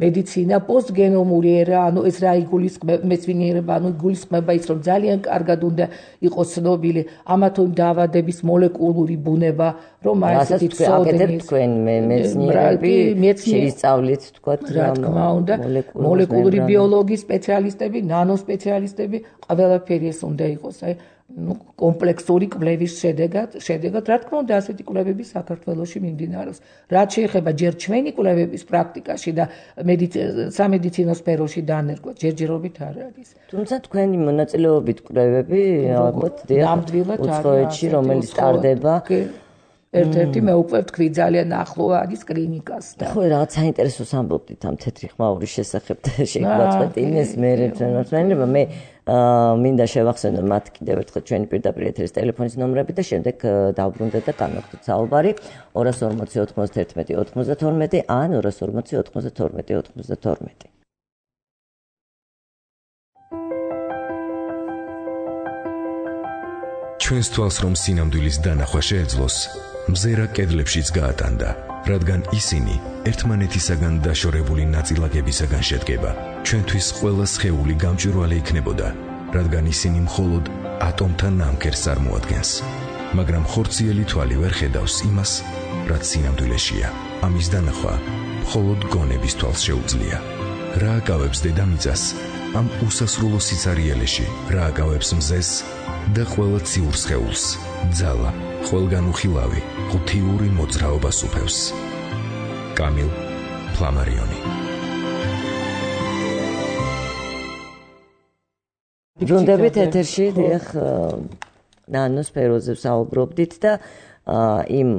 მედიცინა, პოსტგენომური ერა, ანუ ეს რა იგულისხმება, მეცნიერება, ანუ იგულისხმება ის, რომ ძალიან კარგად უნდა იყოს ცნობილი ამა თუ იმ დაავადების მოლეკულური ბუნება, რომ აი ესეთი
ცოდნის თქვენ მეცნიერები შეისწავლით, თქვათ,
რა თქმა უნდა, მოლეკულური ბიოლოგიის სპეციალისტები, ნანოსპეციალისტები, ყველაფერი ეს უნდა იყოს, აი კომპლექსური კვლევის შედეგად, რა თქმა უნდა, ასეთი კვლევები საქართველოში მიმდინარეობს. რაც შეეხება ჯერ ჩვენი კვლევების პრაქტიკაში და სამედიცინო სფეროში დანერგვა, ჯერჯერობით არ არის.
თუმცა თქვენი მონაწილეობით კვლევები, ალბათ, უცხოეთში, რომელიც ტარდება
ერთ-ერთი მე უკვე ვთქვი ძალიან ახლო არის კლინიკას და
ხო რაღაც საინტერესოს ამბობდით ამ თეთრი ხმაურის შესახებ და შეგვაწყვეტ იმეს მე რეფერენდუმმა მე მინდა შევახსენო მათ კიდევ ერთხელ ჩვენი პირდაპირ ეთერის ტელეფონის ნომრები და შემდეგ დავბრუნდეთ და განვაგრძოთ საუბარი 240 91 92 ან 240 92 92.
ჩვენს თვალს რომ სინამდვილის დანახვა შეეძლოს, მზერა კედლებშიც გაატანდა, რადგან ისინი ერთმანეთისაგან დაშორებული ნაწილაკებისაგან შედგება. ჩვენთვის ყველა სხეული გამჭვირვალე იქნებოდა, რადგან ისინი მხოლოდ ატომთა ნამქერს წარმოადგენს. მაგრამ ხორციელი თვალი ვერ ხედავს იმას, რაც სინამდვილეშია. ამის დანახვა მხოლოდ გონების თვალს შეუძლია. რა აკავებს დედამიწას ამ უსასრულო სიცარიელეში, რა აკავებს მზეს და ყველა ციურ სხეულს, ძალა, ყველგან უხილავი, ღუთიური მოძრაობას უფევს. კამილ ფლამარიონი.
ბრუნდებით ეთერში, დიახ, ნანოსფეროზე ვსაუბრობდით და იმ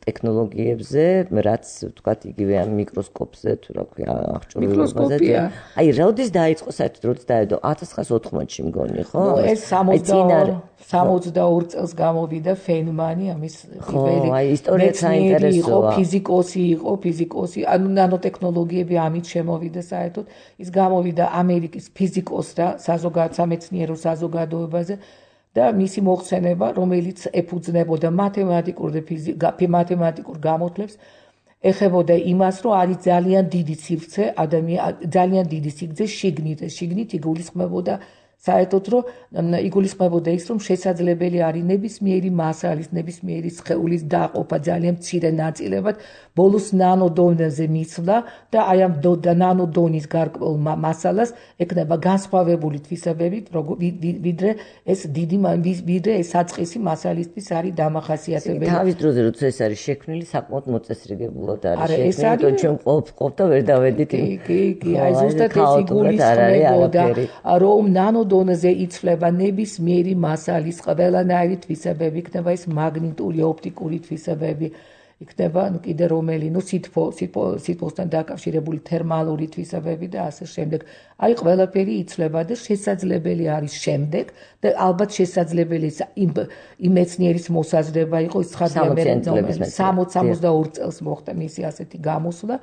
ტექნოლოგიებზე, რაც ვთქვათ, იგივე ამ მიკროსკოპზე თუ რა ქვია, აღჭურვილობაზე. აი, როდის დაიწყო საერთოდ, როდის დაედო 1980-ში მგონი, ხო?
ეს 62 წელს გამოვიდა ფენმანი, ამის პირველი.
აი, ისტორია საინტერესოა.
ფიზიკოსი, ანუ ნანოტექნოლოგიები ამით შემოვიდა საერთოდ. ის გამოვიდა ამერიკის ფიზიკოსთა სამეცნიერო საზოგადოებაზე. და მისი მოხსენება, რომელიც ეფუძნებოდა მათემატიკურ გამოთვლებს, ეხებოდა იმას, რომ არის ძალიან დიდი სივრცე ძალიან დიდი სიგრძე შიგნით იგულისხმებოდა საერთოდ რომ იგულისხმებოდა ის, რომ შესაძლებელი არის ნებისმიერი მასალის, ნებისმიერი სხეულის დაყოფა ძალიან მცირე ნაწილებად, ბოლოს ნანოდონეზე მისვლა და აი ამ ნანოდონის გარკვეულ მასალას ეკნება განსხვავებული თვისებები, ვიდრე ეს საწყისი მასალისთვის არის დამახასიათებელი.
თავის დროზე როცა ეს არის შექმნილი, საკმაოდ მოწესრიგებულად არის შექმნილი, ჩვენ ყოფ და ვერ დავედით.
კი, აი ზუსტად ეს იგულისხმებოდა, რომ ნანოდონეზე იცვლება ნებისმიერი მასალის ყველანაირი თვისებები, იქნება ეს მაგნიტური, ოპტიკური თვისებები, იქნება კიდე რომელი, სითბოსთან დაკავშირებული თერმალური თვისებები და ასე შემდეგ. აი ყველაფერი იცვლება და შესაძლებელი არის შემდეგ და ალბათ შესაძლებელი იმ მეცნიერის მოსაზრება იყო ის ხარია მე 62 წელს მოხდა მისი ასეთი გამოსვლა.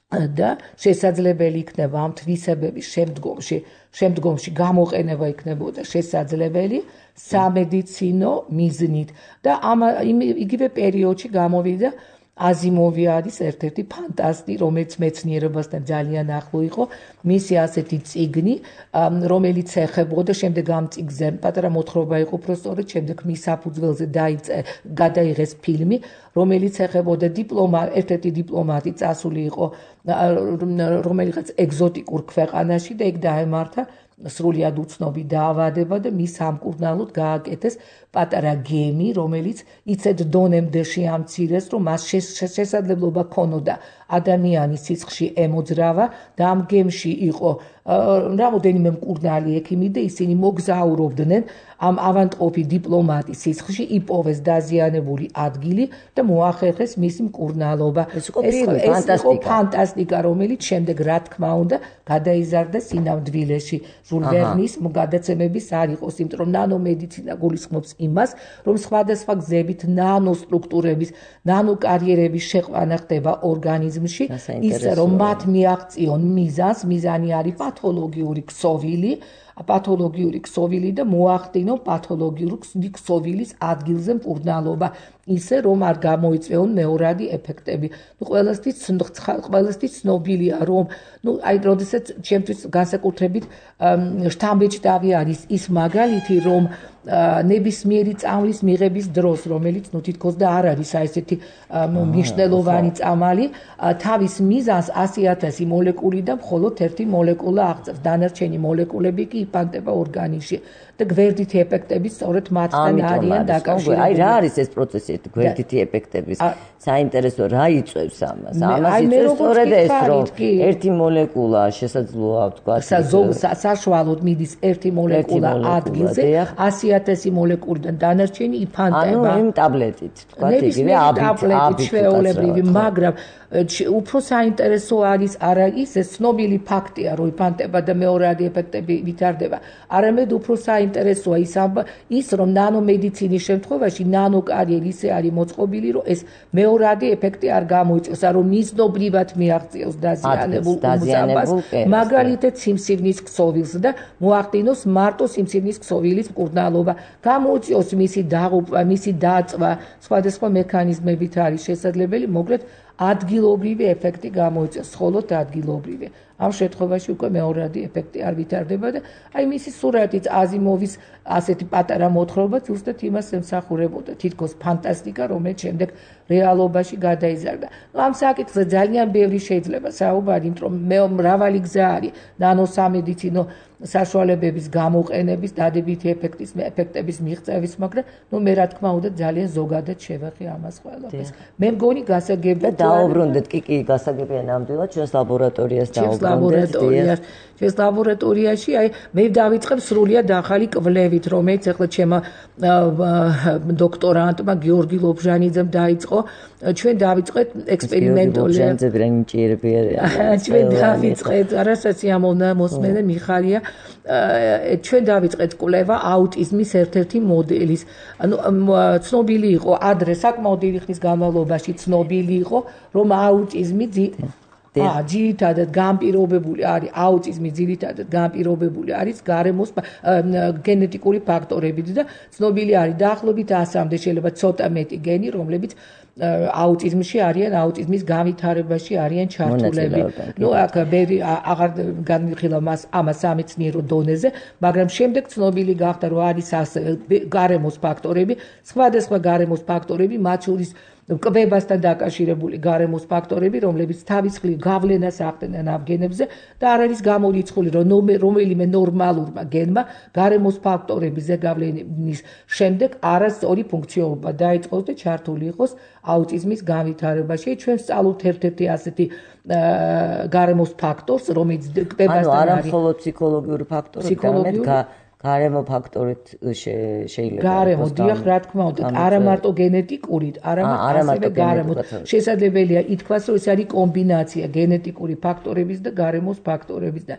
და შესაძლებელი იქნება ამ თვისებების შემდგომში გამოყენება იქნებოდა შესაძლებელი სამედიცინო მიზნით და იგივე პერიოდში გამოვიდა აზიმოვი არის ერთ-ერთი ფანტასტი, რომელიც მეცნიერებასთან ძალიან ახლო იყო, მისი ასეთი წიგნი, რომელიც ეხებოდა შემდეგ ამ წიგნზე პატარა მოთხრობა იყო უბრალოდ შემდეგ მის საფუძველზე გადაიღეს ფილმი, რომელიც ეხებოდა ერთ-ერთი დიპლომატი წასული იყო რომელიღაც ეგზოტიკურ ქვეყანაში და იქ დაემართა სრულიად უცნობი დაავადება და მის სამკურნალოდ გააკეთეს პატარა გემი, რომელიც იცედ დონემდე შეამცირეს, რომ მას შესაძლებლობა ჰქონოდა ადამიანის სისხლში ემოძრავა და ამ გემში იყო რამოდენიმე მკურნალი ექიმი და ისინი მოგზაურობდნენ ამ ავანტყოფი დიპლომატის სისხლში, იპოვეს დაზიანებული ადგილი და მოახერხეს მისი მკურნალობა.
ეს იყო
ფანტასტიკა, რომელიც შემდეგ რა თქმა უნდა გადაიზარდა სინამდვილეში. ჟულ ვერნის გადაცემების არ იყოს, იმიტომ რომ ნანომედიცინა გულისხმობს იმას, რომ სხვადასხვა გზებით ნანოსტრუქტურების, ნანოკარიერების შეყვანა ხდება ორგანიზმში, ისე რომ მათ მიაღწიონ მიზანი არის პათოლოგიური ქსოვილი და მოახდინონ პათოლოგიური ქსოვილის ადგილზე მკურნალობა, ისე რომ არ გამოიწვეონ მეორადი ეფექტები. ყველასთვის ცნობილია, რომ აი როდესაც ჩემთვის განსაკუთრებით შთამბეჭდავი არის ის მაგალითი, რომ ნებისმიერი წამლის მიღების დროს, რომელიც თითქოს და არ არის ესეთი მნიშვნელოვანი წამალი, თავის მიზანს 100,000 მოლეკული და მხოლოდ ერთი მოლეკულა აღწევს. დანარჩენი მოლეკულები კი იფანტება ორგანიზმში და გვერდითი ეფექტები სწორედ მათთან არიან დაკავშირებული.
აი რა არის ეს პროცესი გვერდითი ეფექტების? საინტერესო რა იწვევს ამას? ამას იწვევს სწორედ ეს, რომ ერთი მოლეკულა შესაძლოა ვთქვათ,
საშუალოდ მიდის ერთი მოლეკულა ადგილზე 100,000 მოლეკულიდან დანარჩენი იფანტება.
ანუ იმ ტაბლეტით, ვთქვათ, იგივე აბით
ჩვეულებრივი, მაგრამ უფრო საინტერესო არის არა ის ცნობილი ფაქტია, რომ იფანტება და მეორადი ეფექტები ვითარდება. არამედ უფრო საინტერესოა ის, რომ ნანომედიცინის შემთხვევაში ნანოკარიერი ისე არის მოწყობილი, რომ ეს მეორადი ეფექტი არ გამოიწვევს, რომ მიზნობრივად მიაღწიოს დაზიანებულ უმზაბას, მაგალითად სიმსივნის ქსოვილს და მოახდინოს მარტო სიმსივნის ქსოვილის მკურნალობა, გამოიწვევს მისი დაღუპვა, მისი დაწვა, სხვადასხვა მექანიზმებით არის შესაძლებელი, მოკლედ ადგილობრივი ეფექტი გამოიწვევს, მხოლოდ ადგილობრივი. ამ შემთხვევაში უკვე მეორადი ეფექტი არ ვითარდება და აი მისი სურათიც აზიმოვის ასეთი პატარა მოთხრობა ზუსტად იმას ემსახურებოდა, თითქოს ფანტასტიკა, რომელიც შემდეგ რეალობაში გადაიზარდა. ამ საკითხზე ძალიან ბევრი შეიძლება საუბარი, იმიტომ რომ მრავალი გზა არის ნანოსამედიცინო საშუალებების გამოყენების, დადებითი ეფექტების მიღწევის, მაგრამ მე რა თქმა უნდა ძალიან ზოგადად შევეხე ამას ყველაფერს. მე მგონი გასაგებია
და დაუბრუნდეთ კი გასაგებია ნამდვილად ჩვენს ლაბორატორიას დაუბრუნდეთ.
ჩვენს ლაბორატორიაში აი მე დავიწყებ სრულიად ახალი კვლევით, რომელიც ახლა ჩემმა დოქტორანტმა გიორგი ლობჟანიძემ დაიწყო. ჩვენ დავიწყეთ ექსპერიმენტული ჩვენ დავიწყეთ არასასიამოვნო მოსმენე მიხარია ჩვენ დავიწყეთ კვლევა აუტიზმის ერთ-ერთი მოდელის. ანუ ცნობილი იყო ადრე საკმაოდ დიდი ხნის განმავლობაში ცნობილი იყო, რომ აუტიზმი ძირითადად განპირობებული არის აუტიზმი ძირითადად განპირობებული არის გარემოს გენეტიკური ფაქტორებით და ცნობილი არის დაახლოებით 100-მდე შეიძლება ცოტა მეტი გენი, რომლებიც აუტიზმში არიან, აუტიზმის განვითარებაში არიან ჩართულები. აქ აღარ განვიხილავ ამას სამეცნიერო დონეზე, მაგრამ შემდეგ ცნობილი გახდა, რომ არის გარემოს ფაქტორები, სხვადასხვა გარემოს ფაქტორები, მათ შორის კვებასთან დაკავშირებული გარემოს ფაქტორები, რომლებიც თავისხლივ გავლენას ახდენენ ამ გენებზე და არ არის გამორიცხული, რომ რომელიმე ნორმალურმა გენმა გარემოს ფაქტორების ზეგავლენის შემდეგ არასწორი ფუნქციონირება დაიწყოს და ჩართული იყოს აუტიზმის განვითარებაში. ჩვენ ვსწავლობთ ერთ-ერთი ასეთი გარემოს ფაქტორს, რომელიც კვებასთან
არის. ანუ არა მხოლოდ ფსიქოლოგიური ფაქტორი, არამედ გარემო ფაქტორით შეიძლება.
გარემო, დიახ, რა თქმა უნდა, არა მარტო გენეტიკურით, არამედ ასევე გარემოთ. შესაძლებელია ითქვას, რომ ეს არის კომბინაცია გენეტიკური ფაქტორების და გარემოს ფაქტორების და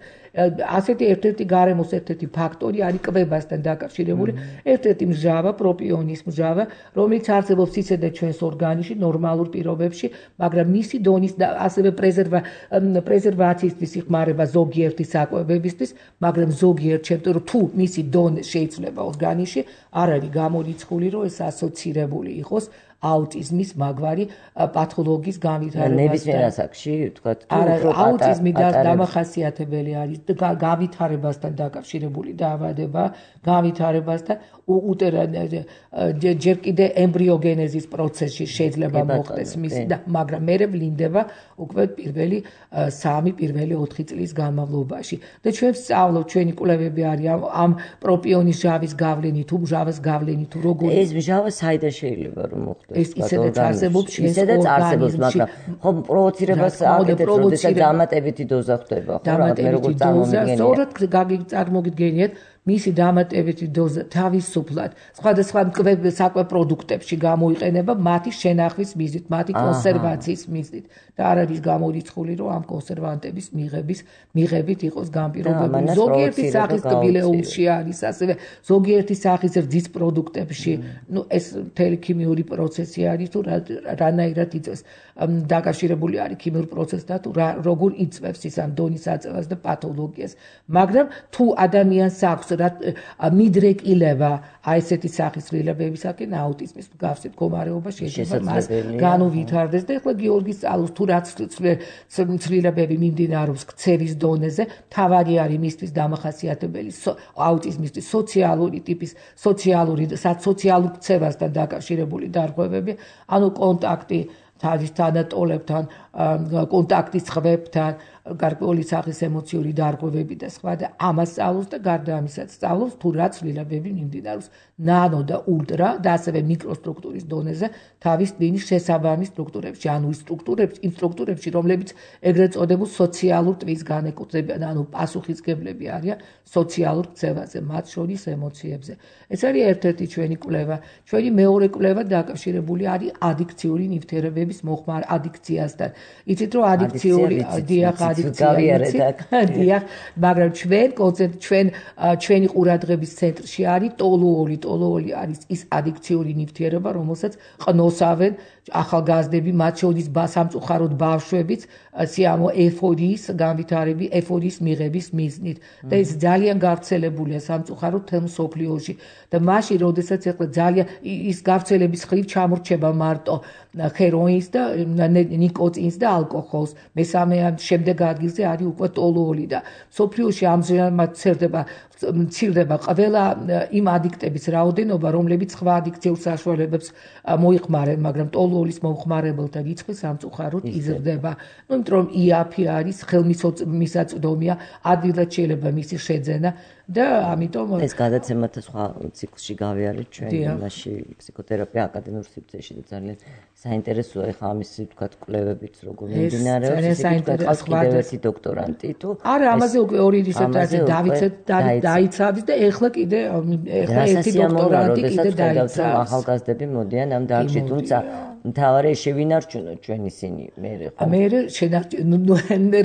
ასეთი ერთ-ერთი გარემოს ერთ-ერთი ფაქტორი არის კვებასთან დაკავშირებული, ერთ-ერთი მჟავა, პროპიონის მჟავა, რომელიც არსებობს ისედაც ჩვენს ორგანიზმში ნორმალურ პირობებში, მაგრამ მისი დონის და ასევე პრეზერვაციისთვის იხმარება ზოგიერთი საკვებებისთვის, მაგრამ ზოგიერთ შემთხვევაში თუ მისი დონე შეიძლება ორგანიზმში არ არის გამორიცხული, რომ ეს ასოცირებული იყოს აუტიზმის მაგვარი პათოლოგიის განვითარებასთან.
ნებისმიერ ასაკში, ვთქვათ,
აუტიზმი დამახასიათებელი არის განვითარებასთან დაკავშირებული დაავადება, განვითარებასთან ჯერ კიდე ემბრიოგენეზის პროცესში შეიძლება მოხდეს მისი და მაგრამ მე ვლინდება უკვე პირველი 4 წლის განმავლობაში. და ჩვენ ვსწავლობთ, ჩვენი კვლევები არის ამ პროპიონის ჟავის გავლენით, თუ მჟავას გავლენით, თუ როგორ
ეს მჟავა საიდან შეიძლება რომ მოხდეს?
ეს ისედაც არსებობს ჩვენს
ორგანიზმში. ხო, პროვოცირებას აკეთებს, როდესაც დამატებითი დოზა ხდება, ხო,
დამატებითი დოზა, სწორად წარმოგიდგენიათ მისი დამატებითი დოზა თავისუფლად სხვადასხვა საკვებ პროდუქტებში გამოიყენება მათი შენახვის მიზნით, მათი კონსერვაციის მიზნით და არ არის გამორიცხული, რომ ამ კონსერვანტების მიღებით იყოს განპირობებული. ზოგიერთი სახის ტბილეულში არის, ასევე ზოგიერთი სახის რძის პროდუქტებში, ეს მთელი ქიმიური პროცესი არის, თუ რანაირად იწევს დაკავშირებული არის ქიმიურ პროცესთან, თუ როგორ იწევს ის ამ დონის აწევას და პათოლოგიას. მაგრამ თუ ადამიანს აქვს მიდრეკილება აი ესეთი სახის ცვლილებებისაკენ აუტიზმის მსგავსი მდგომარეობა შეიძლება მას განუვითარდეს და ეხლა გიორგის სწავლობს თუ რაც ცვლილებები მიმდინარეობს ქცევის დონეზე, თავარი არის მისთვის დამახასიათებელი აუტიზმისთვის სოციალური ტიპის სოციალურ ქცევასთან დაკავშირებული დარღვევები, ანუ კონტაქტი თავის თანატოლებთან, კონტაქტის ხმებთან, გარკვეული სახის ემოციური დარღვევები და სხვა და ამას სწავლობს და გარდა ამისაც სწავლობს თუ რა ცვლილებები მიმდინარეობს ნანო და ულტრა და ასევე მიკროსტრუქტურის დონეზე თავის ტვინის შესაბამის სტრუქტურებში, ანუ იმ სტრუქტურებში, რომლებიც ეგრეთ წოდებულ სოციალურ ტვინს განეკუთვნებიან, ანუ პასუხისმგებლები არიან სოციალურ ქცევაზე, მათ შორის ემოციებზე. ეს არის ერთ-ერთი ჩვენი კვლევა. ჩვენი მეორე კვლევა დაკავშირებული არის ადიქციური ნივთიერებების მოხმარ ადიქციასთან. იცით რომ ადიქციური დიახ, მაგრამ ჩვენი ყურადღების ცენტრში არის ტოლუოლი. ტოლუოლი არის ის ადიქციური ნივთიერება, რომელსაც ყნოსავენ ახალგაზრდები, მათ შორის სამწუხაროდ ბავშვებიც, სიამო ეფორიის განვითარების, ეფორიის მიღების მიზნით. და ეს ძალიან გავრცელებულია სამწუხაროდ მთელ მსოფლიოში. და მაშინ, როდესაც ახლა ძალიან ის გავრცელების ხრივ ჩამორჩება მარტო ჰეროინს და ნიკოტინს და ალკოჰოლს. მესამე შემდეგ ადგილზე არის უკვე ტოლუოლი და მსოფლიოში ამჟამად მცირდება ყველა იმ ადიქტების რაოდენობა, რომლებიც სხვა ადიქციურ საშუალებებს მოიხმარენ, მაგრამ ტოლუოლის მომხმარებელთა რიცხვი სამწუხაროდ იზრდება. იმიტომ რომ იაფი არის ხელმისაწვდომია, ადვილად შეიძლება მისი შეძენა და ამიტომ
ეს გადაცემათა სხვა ციკლში გავიარეთ ჩვენ იმაში ფსიქოთერაპია აკადემიურ სივრცეში და ძალიან საინტერესოა ეხლა ამისი ვთქვათ კვლევებიც როგორ მიმდინარეობს. ეს საინტერესოა კიდევ ერთი დოქტორანტი თუ
არა ამაზე უკვე ორი რისერჩი დაიცავის და ეხლა კიდე ერთი დოქტორანტი კიდე დაიცავის.
ახალგაზრდები მოდიან ამ დარგში, თუმცა მთავარი შევინარჩუნოთ ჩვენ ისინი მერე ხო?
მერე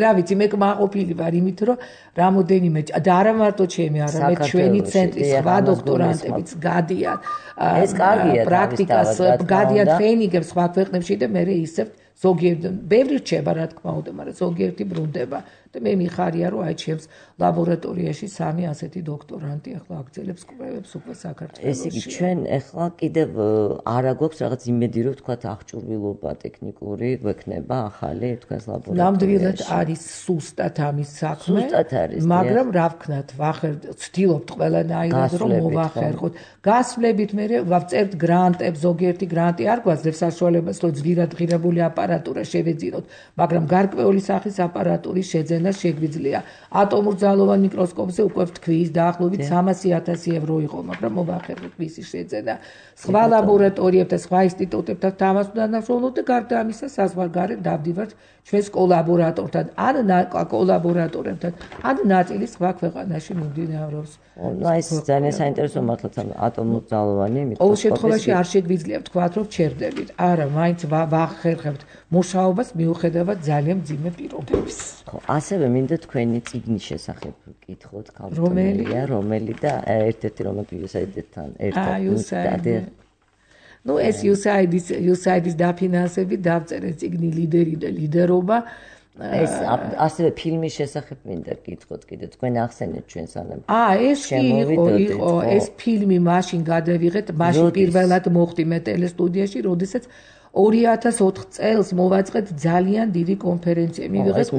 რა ვიცი, მე კმაყოფილი ვარ იმით, რომ რამოდენიმე და არა მარტო ჩემი, არამედ ჩვენი ცენტრის სხვა დოქტორანტებიც გადიან
ეს კარგია
პრაქტიკას, გადიან ტრეინინგებს სხვა ქვეყნებში და მერე ისევ ზოგიერთი ბევრი რჩება რა თქმა უნდა, მაგრამ ზოგიერთი ბრუნდება და მე მიხარია რომ აი ჩემს ლაბორატორიაში 3 ასეთი დოქტორანტი ახლა აგრძელებს კვლევებს უკვე საქართველოში.
ეს იგი ჩვენ ახლა კიდევ არა გვაქვს რაღაც იმედი რომ ვთქვათ აღჭურვილობა ტექნიკური გვექნება ახალი თქვენს ლაბორატორიაში.
ნამდვილად არის სუსტად ამის საქმე, მაგრამ რა ვქნათ, ვცდილობთ ყველანაირად რომ მოვახერხოთ. გასვლებით მე ვწერთ გრანტებს, ზოგიერთი გრანტი არ გვაძლევს საშუალებას რომ ძვირად ღირებული აპარატურა შევეძინოთ, მაგრამ გარკვეული სახის აპარატურის შეძენა შეგვიძლია. ატომურ ძალოვან მიკროსკოპზე უკვე ვთქვის დაახლოებით 300,000 евро იყო, მაგრამ მოვახერხეთ მისი შეძენა. სხვა ლაბორატორიებთან, სხვა ინსტიტუტებთან თანამშრომლობთ და გარდა ამისა საზღვარგარეთ დავდივართ ჩვენს კოლაბორატორთან, ან ნაწილი სხვა ქვეყანაში მიმდინარეობს.
ეს ძალიან საინტერესო მართლაც ატომურ ძალოვანი მიკროსკოპი.
ყოველ შემთხვევაში არ შეგვიძლია ვთქვათ, რომ ჩერდებით. არა, მაინც ვახერხებთ მუშაობას მიუხედავად ძალიან მძიმე პირობების.
ხო, ასევე მინდა თქვენი წიგნის შესახებ ვკითხოთ, რომელი და ერთ-ერთი რომელთი USAID-თან ერთად.
ნუ ეს USAID-ის დაფინანსებით დავწერე წიგნი ლიდერი და ლიდერობა.
ეს ასევე ფილმის შესახებ მინდა გკითხოთ კიდე თქვენ ახსენეთ ჩვენ სანამ.
ეს იყო ეს ფილმი მაშინ გადავიღეთ, მაშინ პირველად მოხდი მე ტელესტუდიაში, როდესაც 2004 წელს მოვაწყეთ ძალიან დიდი კონფერენცია. მივიღეთ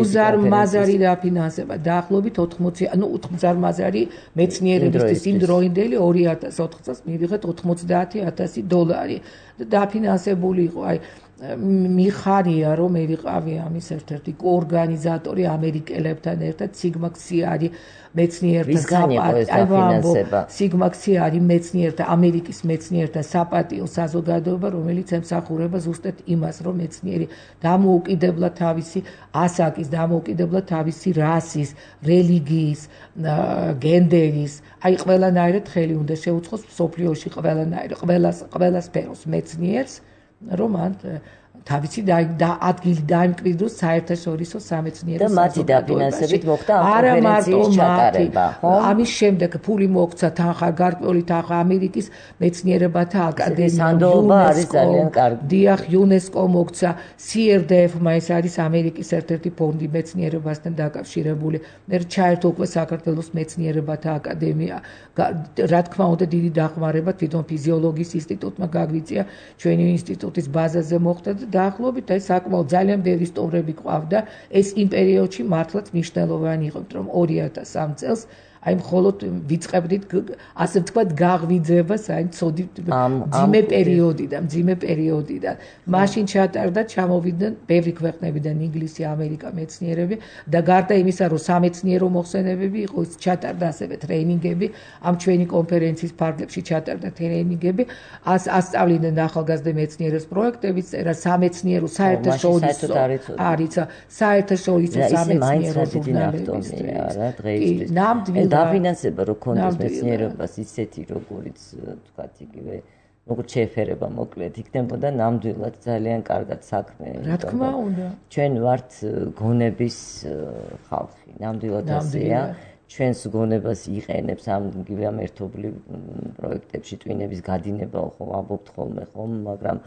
უზარმაზარი დაფინანსება, დაახლოებით 80, უზარმაზარი მეცნიერებისთვის იმ დროინდელი 2004 წელს მივიღეთ $90,000 და დაფინანსებული იყო. აი მიხარია რომ მე ვიყავი ამის ერთ-ერთი ორგანიზატორი ამერიკელებთან ერთად სიგმაქსი არის მეცნიერთა სიგმაქსი არის მეცნიერთა ამერიკის მეცნიერთა საპატიო საზოგადოება, რომელიც ემსახურება ზუსტად იმას, რომ მეცნიერი დამოუკიდებლად თავისი ასაკის, დამოუკიდებლად თავისი რასის, რელიგიის, გენდერის, აი ყველანაირად ხელი უნდა შეუწყოს მსოფლიოში ყველა სფეროს მეცნიერს, რომ ან თავისი ადგილი დაიმკვიდროს საერთაშორისო სამეცნიერო
და მათი დაფინანსებით მოხდა ამ კონფერენციის ჩატარება, ხო?
ამის შემდეგ ფული მოგვცა თანხა, გარკვეული თანხა ამერიკის მეცნიერებათა აკადემია, დიახ, UNESCO მოგვცა, CRDF-მა ეს არის ამერიკის ერთ-ერთი ფონდი მეცნიერებასთან დაკავშირებული. მე ჩაერთო უკვე საქართველოს მეცნიერებათა აკადემია. რა თქმა უნდა, დიდი დახმარება თვითონ ფიზიოლოგიის ინსტიტუტმა გაგვიწია, ჩვენი ინსტიტუტის ბაზაზე მოხდა და დაახლოებით აი საკმაოდ ძალიან ბევრი სტუმრები ყავდა. ეს იმ პერიოდში მართლაც მნიშვნელოვანი იყო, რომ 2003 წელს აი მხოლოდ ვიწყებდით ასე ვთქვათ გაღვიძება საერთოდ მძიმე პერიოდიდან მაშინ ჩატარდა ჩამოვიდნენ ბევრი ქვეყნებიდან ინგლისი ამერიკა მეცნიერები და გარდა იმისა რომ სამეცნიერო მოხსენებები იყო ჩატარდა ასევე ტრეინინგები ამ ჩვენი კონფერენციის ფარგლებში ჩატარდა ტრეინინგები ასწავლიდნენ ახალგაზრდა მეცნიერებს პროექტებიც წერა სამეცნიერო საერთაშორისო არის საერთაშორისო სამეცნიერო ჟურნალები
არა დღეისთვის დაფინანსება რო კონდეს მეცნიერებას ისეთი როგორიც თქვათ იგივე როგორც შეეფერება მოკლედ იქნებოდა ნამდვილად ძალიან კარგად საქმე
რა თქმა უნდა
ჩვენ ვართ გონების ხალხი ნამდვილად ასეა ჩვენს გონებას იყენებს ამ იგივე ამ ერთობლივ პროექტებში ტვინების გადინება ხო ამბობთ ხოლმე ხომ მაგრამ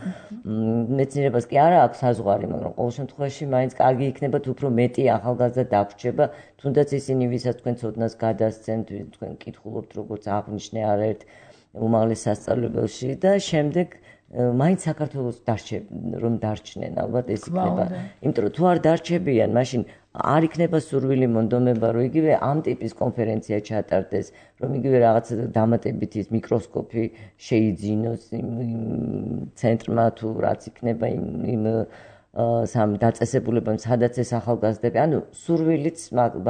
მეცნიერებას კი არა აქვს საზღვარი მაგრამ ყოველ შემთხვევაში მაინც კარგი იქნება თუ უფრო მეტი ახალგაზრდა დაგვრჩება თუნდაც ისინი ვისაც თქვენ ცოდნას გადასცემთ თქვენ კითხულობთ როგორც აღნიშნე არაერთ უმაღლეს სასწავლებელში და შემდეგ მაინც საქართველოს რომ დარჩნენ ალბათ ეს იქნება იმიტომ რომ თუ არ დარჩებიან მაშინ არ იქნება სურვილი მონდომება რომ იგივე ამ ტიპის კონფერენცია ჩატარდეს რომ იგივე რაღაც დამატებით ის მიკროსკოპი შეიძინოს ცენტრმა თუ რაც იქნება იმ სამ დაწესებულებამ სადაც ეს ახალგაზრდები ანუ სურვილიც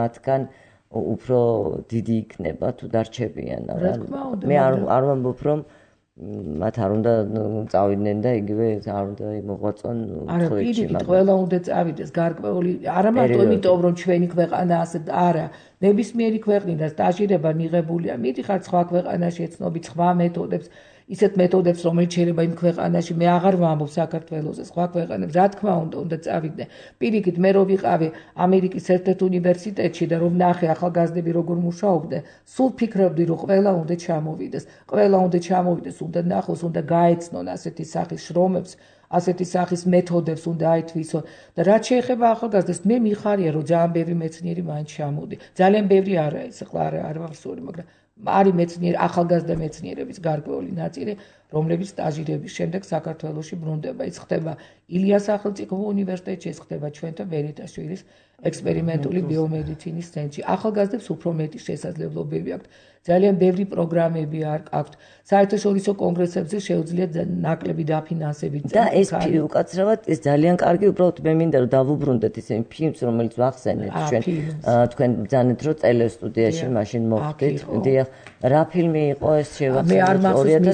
მათგან უფრო დიდი იქნება თუ დარჩებიან მე არ ვამბობ რომ მათ არ უნდა წავიდნენ და იგივე არ უნდა მოღვაწონ
თხოვეთში მაგრამ ყველა უნდა წავიდეს გარკვეული არა მარტო იმიტომ რომ ჩვენი ქვეყანა ასე არა ნებისმიერი ქვეყნიდან სტაჟირება მიღებულია მიდიხარ სხვა ქვეყანაში ეცნობი სხვა მეთოდებს ისეთ მეთოდებს რომელიც შეიძლება იმ ქვეყანაში მე აღარ ვამბობ საქართველოსზე სხვა ქვეყანებს რა თქმა უნდა წავიდნენ პირიქით მე რო ვიყავი ამერიკის ერთ-ერთ უნივერსიტეტში და რომ ნახე ახალგაზრდები როგორ მუშაობდნენ სულ ფიქრობდი რომ ყველა უნდა ჩამოვიდეს უნდა ნახოს უნდა გაეცნონ ასეთი სახის შრომებს ასეთი სახის მეთოდებს უნდა აითვისონ და რაც შეეხება ახალგაზრდებს მე მიხარია რომ ძალიან ბევრი მეცნიერი მაინც ჩამოვიდი ძალიან ბევრი არა ეს ახლა არ ვახსოვრი მაგრამ არის მეცნიერი ახალგაზრდა მეცნიერების გარკვეული ნაწილი რომლებიც სტაჟირების შემდეგ საქართველოში ბრუნდება ის ხდება ილიას სახელმწიფო უნივერსიტეტში ეს ხდება ჩვენთან ვერიტაშვილის ექსპერიმენტული ბიომედიცინის ცენტრში ახალგაზრდებს უფრო მეტი შესაძლებლობები აქვთ ძალიან ბევრი პროგრამები აქვთ საერთაშორისო კონგრესებზე შეუძლიათ ნაკლები დაფინანსებით
და ეს უკაცრავად ეს ძალიან კარგი უბრალოდ მე მინდა რომ დავუბრუნდეთ ისინი ფილმს რომელიც ვახსენეთ ჩვენ თქვენ ბრძანეთ რომ ტელესტუდიაში მაშინ მოხდით დიახ რა ფილმი იყო ეს შევახსენეთ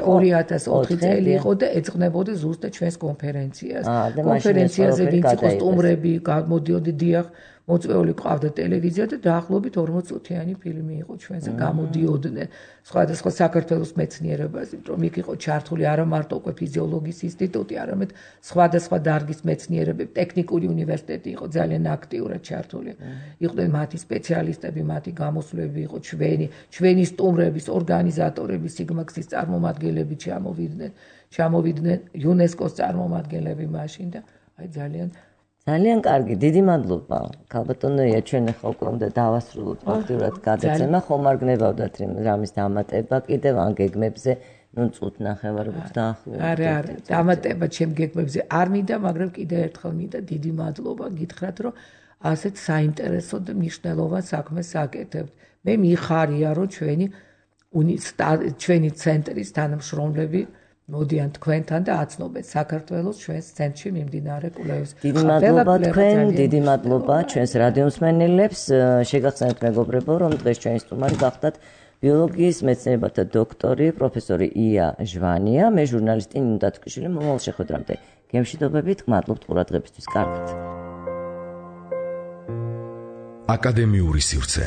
2004 წელი იყო და ეძღვნებოდა ზუსტად ჩვენს კონფერენციას კონფერენციაზე ვინც იყო სტუმრები გამოდიოდნენ დიახ მოწვეული ყავდა ტელევიზია და დაახლოებით 40 წუთიანი ფილმი იყო ჩვენზე გამოდიოდნენ სხვადასხვა საქართველოს მეცნიერებაზე რომ იქ იყო ჩართული არა მარტო უკვე ფიზიოლოგიის ინსტიტუტი არამედ სხვადასხვა დარგის მეცნიერები ტექნიკური უნივერსიტეტი იყო ძალიან აქტიურად ჩართული იყვნენ მათი სპეციალისტები მათი გამოსვლები იყო ჩვენი სტუმრების ორგანიზატორები სიგმაქსის წარმომადგენლები ჩამოვიდნენ იუნესკოს წარმომადგენლები მაშინ და აი
ძალიან კარგი, დიდი მადლობა. ქალბატონია, ჩვენ ახლა უკვე უნდა დავასრულოთ ფაქტურად გადაცემა, ხომ არ გნებავდათ რამის დამატება კიდევ ან გეგმებზე, ნუ წუთ ნახევარს დაახლოებით.
არა, დამატება ჩემ გეგმებზე არ მინდა, მაგრამ კიდევ ერთხელ მინდა დიდი მადლობა გითხრათ, რომ ასეთ საინტერესო და მნიშვნელოვან საქმეს აკეთებთ. მე მიხარია, რომ ჩვენი ცენტრის თანამშრომლები მოდიან თქვენთან და აცნობენ საქართველოს ჩვენს ცენტრში მიმდინარე კვლევებს.
დიდი მადლობა თქვენ, დიდი მადლობა ჩვენს რადიომსმენელებს. შეგახსენებთ მეგობრებო, რომ დღეს ჩვენი სტუმარი გახდათ ბიოლოგიის მეცნიერებათა დოქტორი, პროფესორი ია ჟვანია, მე ჟურნალისტი ნინო დათვიშვილი. მომავალ შეხვედრამდე გემშვიდობებით, გმადლობთ ყურადღებისთვის. კარგად.
აკადემიური სივრცე.